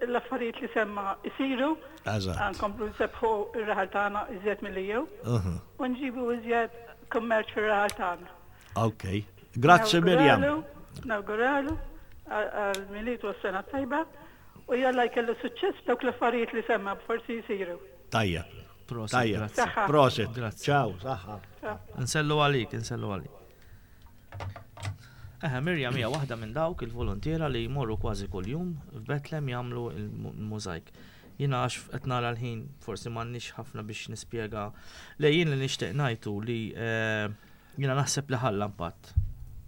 l-affarijiet li semma isiru, Eżatt. nkomplu nsebbħu ir-raħal tagħna iżjed milli jew, Mhm. u nġibu iżjed kummerċ fir-raħal tagħna. Ok. Grazzi Mirjam. Nawguralu għal-Milied u s-sena tajba u jalla jkellu suċċess dawk l-affarijiet li semma forsi jisiru. Tajjeb. Prosit, Tajjeb. grazzi. Saħħa. Prosit. Grazzi. Ciao, saħħa. Nsellu għalik, nsellu għalik. Eħe, Mirjam hija waħda minn dawk il-volontiera li jmorru kważi kuljum f'Betlem jagħmlu il-mużajk. Jiena għax qed nara l-ħin forsi m'għandniex ħafna biex nispjega. Le jien li nixtieq ngħidu li eh, jiena naħseb li ħalla impatt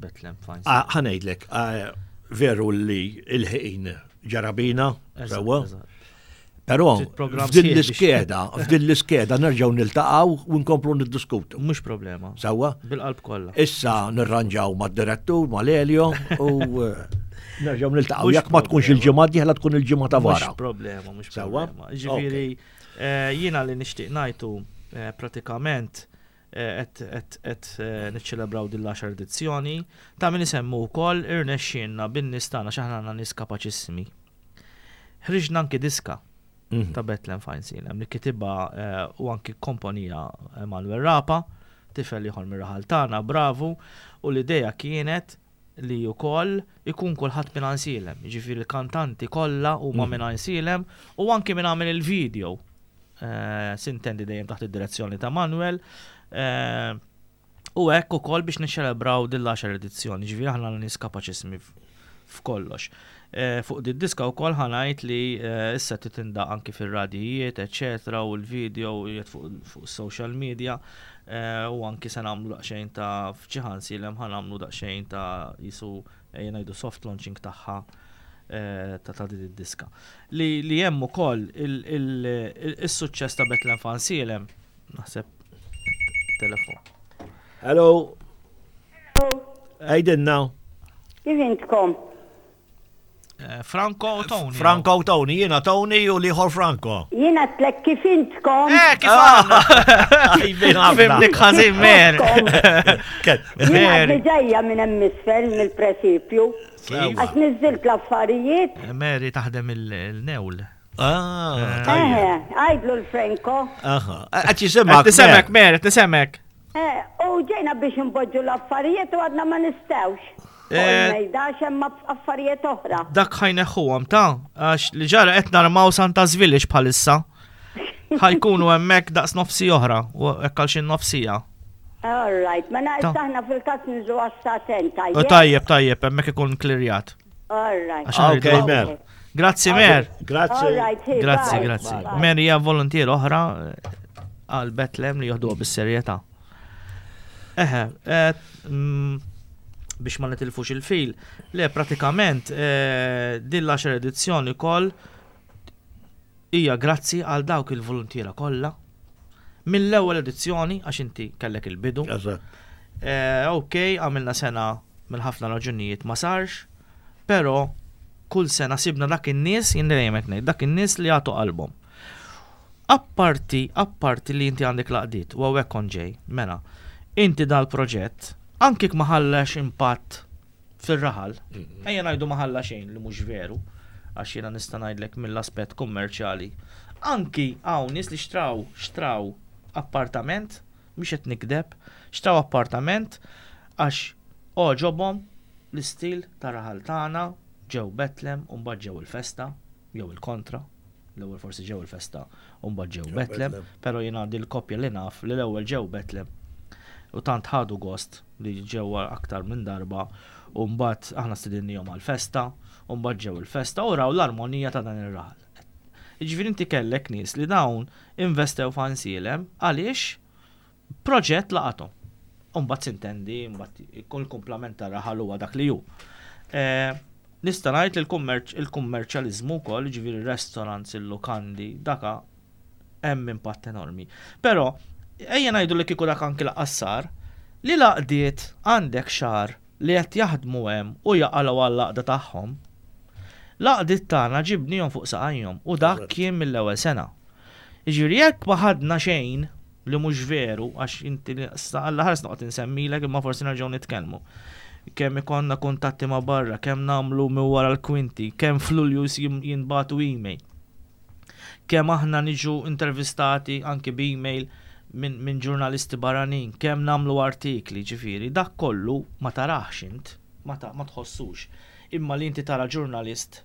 Betlem fine. Ah, ħa ngħidlek, ah, veru li il-ħin ġara bina, Eżatt, sewwa. eżatt. Però Trid programm f'din sħiħ biex- l-iskeda, f'din l-iskeda nerġgħu niltaqgħu u nkomplu niddiskutu. Mhux problema. Sewwa? Bil-qalb kollha. Issa nirranġaw mad-direttur, mal-Elio u eh, nerġgħu niltaqgħu. Mhux Jekk ma tkunx problema. il-ġimgħa d-dieħla tkun il-ġimgħa ta' wara. Mhux problema, mhux Sewwa? problema. Ġifieri eh, jiena li nixtieq ngħidu eh, pratikament eh, qed qed qed eh, niċċelebraw din l-għaxar edizzjoni ta' min isemmu wkoll irnexxielna bin-nies tagħna x'aħna għandna nies kapaċissimi. Ħriġna anki diska Mhm. ta' Betlem f'Għajnsielem li kitibha eh, u anki komponija Emanuel Rapa, tifel ieħor mir-raħal tagħna, bravu, u l-idea kienet li wkoll ikun kulħadd minn Għajnsielem, jiġifieri l-kantanti kollha huma minn Għajnsielem u anki minn għamel il-video. Eh, Sintendi dejjem taħt id-direzzjoni ta' Manuel. Eh, U hekk ukoll biex niċċelebraw din l-għaxar edizzjoni, ġifieri aħna nies kapaċissimi f- f'kollox. Eh, Fuq di diska wkoll ħa ngħid li eh, issa titindaq anki fir-radijiet, eċetera, u l-video qiegħed fuq fuq social media eh, u anki se nagħmlu daqsxejn ta' f'Għajnsielem ħa nagħmlu daqsxejn ta' jisu ejja ngħidu soft launching tagħha eh, ta' ta' din id-diska. Li li hemm ukoll il- il- il- is-suċċess ta' Betlem f'Għajnsielem naħseb telefon. Hello. Għidilna. Kif intkom? Eh, Franco u Tony. Franco u Tony, jiena Tony u l-ieħor Franco. Jiena għedtlek kif intkom? Eh, kif għandna? Fimnik ħafna. Fimnik ħażin mer. Jiena Mary. għadni ġejja minn hemm isfel mill-presipju. Kif? Għax niżilt l-affarijiet. Mary taħdem il-newl. Ah, tajjeb. Eh, għajdlu l-Franco. Aha. Qed jisimgħek. Nisemmek, Mary, nisemmek. Eh, u ġejna biex npoġġu l-affarijiet u għadna ma nistgħux. Eh. Il-mejda hemm affarijiet oħra. Dak ħa jneħħuhom ta' għax li ġara qed narmaw Santa's Village bħalissa. Ħa jkunu hemmhekk daqs nofsi oħra u hekk għal xi nofsija. All right, mela Ta. issa aħna fil-każ niżlu għas-sagħtejn, U tajjeb. Tajjeb, tajjeb, hemmhekk ikun klirjat. All right. Għax aħna Ok, rridu- Mer. Grazzi Mer. Grazzi. All right, hey, Grazzi, bye. grazzi. Bye. Mary hija volontier oħra eh, għal Betlem li joħduha bis-serjetà. Eħe, eh, mm, biex ma nitilfux il-fil, le pratikament eh, din l-għaxar edizzjoni koll hija grazzi għal dawk il-volontiera kollha mill-ewwel edizzjoni għax inti kellek il-bidu. Eżatt. Eh, ok, għamilna sena minn ħafna raġunijiet ma sarx, pero kull sena sibna dak in-nies, jien dejjem qed ngħid, dak in-nies li jagħtu qalbhom. Apparti, apparti li inti għandek l-għaqdiet, u hawnhekk kont ġej, mela, inti dal-proġett, anki ma ħallax impatt fir-raħal, ejja ngħidu ma ħalla xejn li mhux veru, għax jiena nista' ngħidlek mill-aspett kummerċjali. Anki hawn nies li xtraw, xtraw appartament, mhux qed nikdeb, xtraw appartament għax għoġobhom l-istil ta' raħal tagħna ġew Betlem u mbagħad ġew il-festa jew il-kontra. L-ewwel forsi ġew il-festa u mbagħad ġew Betlem, Betlem. però jiena għandi l-koppja li naf li l-ewwel ġew Betlem u tant ħadu gost li ġew aktar minn darba u mbagħad aħna stedinnihom għall-festa u mbagħad ġew il-festa u raw l-armonija ta' dan ir-raħal. Jiġifieri inti kellek nies li dawn investew f'Għajnsielem għaliex proġett laqathom. U mbagħad sintendi, mbagħad ikun il-kumplament tar-raħal huwa dak li hu. Eh, Nista' ngħid li l-kummerċ il-kummerċjaliżmu wkoll, jiġifieri restaurants, il-lukandi, daka hemm impatt enormi. Però ejja ngħidu li kieku dak anki lanqas sar, li l-għaqdiet għandek xahar li qed jaħdmu hemm u jaqalgħu għall-għaqda tagħhom. L-għaqdiet tagħna ġibnihom fuq saqajhom u dak kien mill-ewwel sena. Jiġifieri jekk ma ħadna xejn li mhux veru għax inti Alla ħares noqgħod insemmilek imma forsi nerġgħu nitkellmu. kemm ikollna kuntatti ma' barra, kemm nagħmlu minn wara l-kwinti, kemm f'Lulju jinbagħtu email. Kemm aħna niġu intervistati anki b'email minn min ġurnalisti barranin, kemm nagħmlu artikli, ġifieri, dak kollu ma tarax int, ma, ta, ma tħossux. Imma li inti tara ġurnalist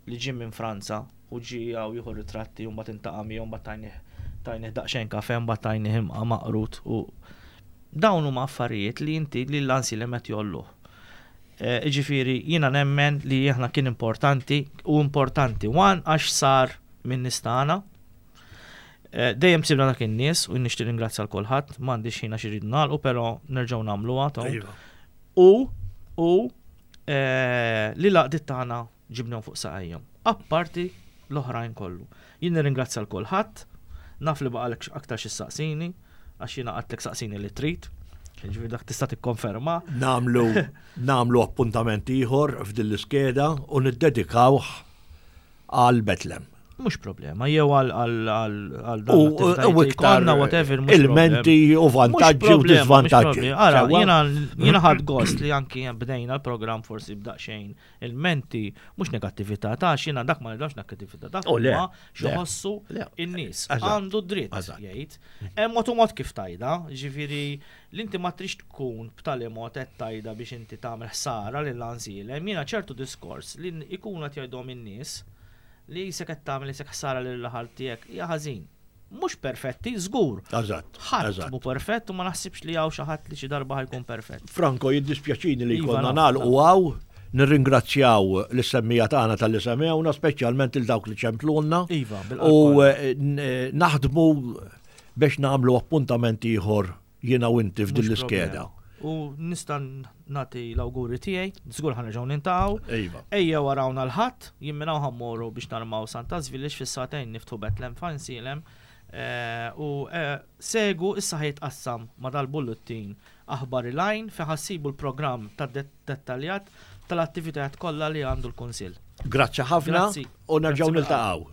li ġie minn Franza u ġie hawn jieħu ritratti u mbagħad iltaqa' miegħu, mbagħad tajnih tajnih daqsxejn kafe, mbagħad tajnih imqa maqrut u dawn huma affarijiet li inti li l-Għajnsielem qed jgħolluh. Ġifieri, jiena nemmen li aħna kien importanti u importanti one għax sar minn nies tagħna. Dejjem sibna dak in-nies u nixtieq ringrazzja l kulħadd, m'għandix ħin għax irridu nagħlqu, però nerġgħu nagħmluha. Iva. U u li l-għaqdiet tagħna ġibnihom fuq saqajhom. Apparti l-oħrajn kollu. Jien nirringrazzja l kulħadd, naf li baqalek aktar xi saqsini, għax jiena għedtlek saqsini li trid. Ġifieri dak tista' tikkonferma. Nagħmlu nagħmlu appuntament ieħor f'din l-iskeda u niddedikawh għal Betlem. Mhux problema, jew għal għal U u iktar whatever, mhux ilmenti u vantaġġi u disvantaġġi. Ara, jiena jiena ħadt gost li anki bdejna l-programm forsi b'daqsxejn ilmenti, mhux negattività, ta' jiena dak ma nidawx negattività, dak Oh, le, huma le, x'ħossu le. in-nies. Eżatt, Għandu dritt eżatt. jgħid. Hemm mod u mod kif tgħidha, ġifieri li inti ma trix tkun b'tali mod qed tgħidha biex inti tagħmel ħsara lil Għajnsielem. Jiena ċertu diskors li ikunu qed jgħidhom in-nies li jisek qed tagħmel jisek ħsara lil raħal tiegħek hija ħażin. Mhux perfetti, żgur. Eżatt, Ħadd eżatt. mhu perfett u ma naħsibx li hawn xi ħadd li xi darba ħa jkun perfett. Franco, jiddispjaċini li Iva, konna naf, nagħlqu hawn, nirringrazzjaw lis-semmiegħa tagħna talli semgħuna, speċjalment il dawk li ċemplunna. Iva, U bil-qalb. eh, n- eh, naħdmu biex nagħmlu appuntament ieħor jiena u inti f'din Mhux l-iskeda. problema. U nista' nagħti l-awguri tiegħi, żgur ħa nerġgħu niltaqgħu. Iva. Ejja warawna l-Ħadd, jien minn hawn ħa mmorru biex narmaw Santa's Village, fis-sagħtejn niftħu Betlem f'Għajnsielem. Eh, U eh, segu issa ħa jitqassam ma dal-bullettin aħbar il-għajn fejn ħa ssibu l-programm ta' dettaljat tal-attivitajiet kollha li għandu l-Kunsill. Grazzi ħafna Grazzi. u nerġgħu Grazzi. niltaqgħu.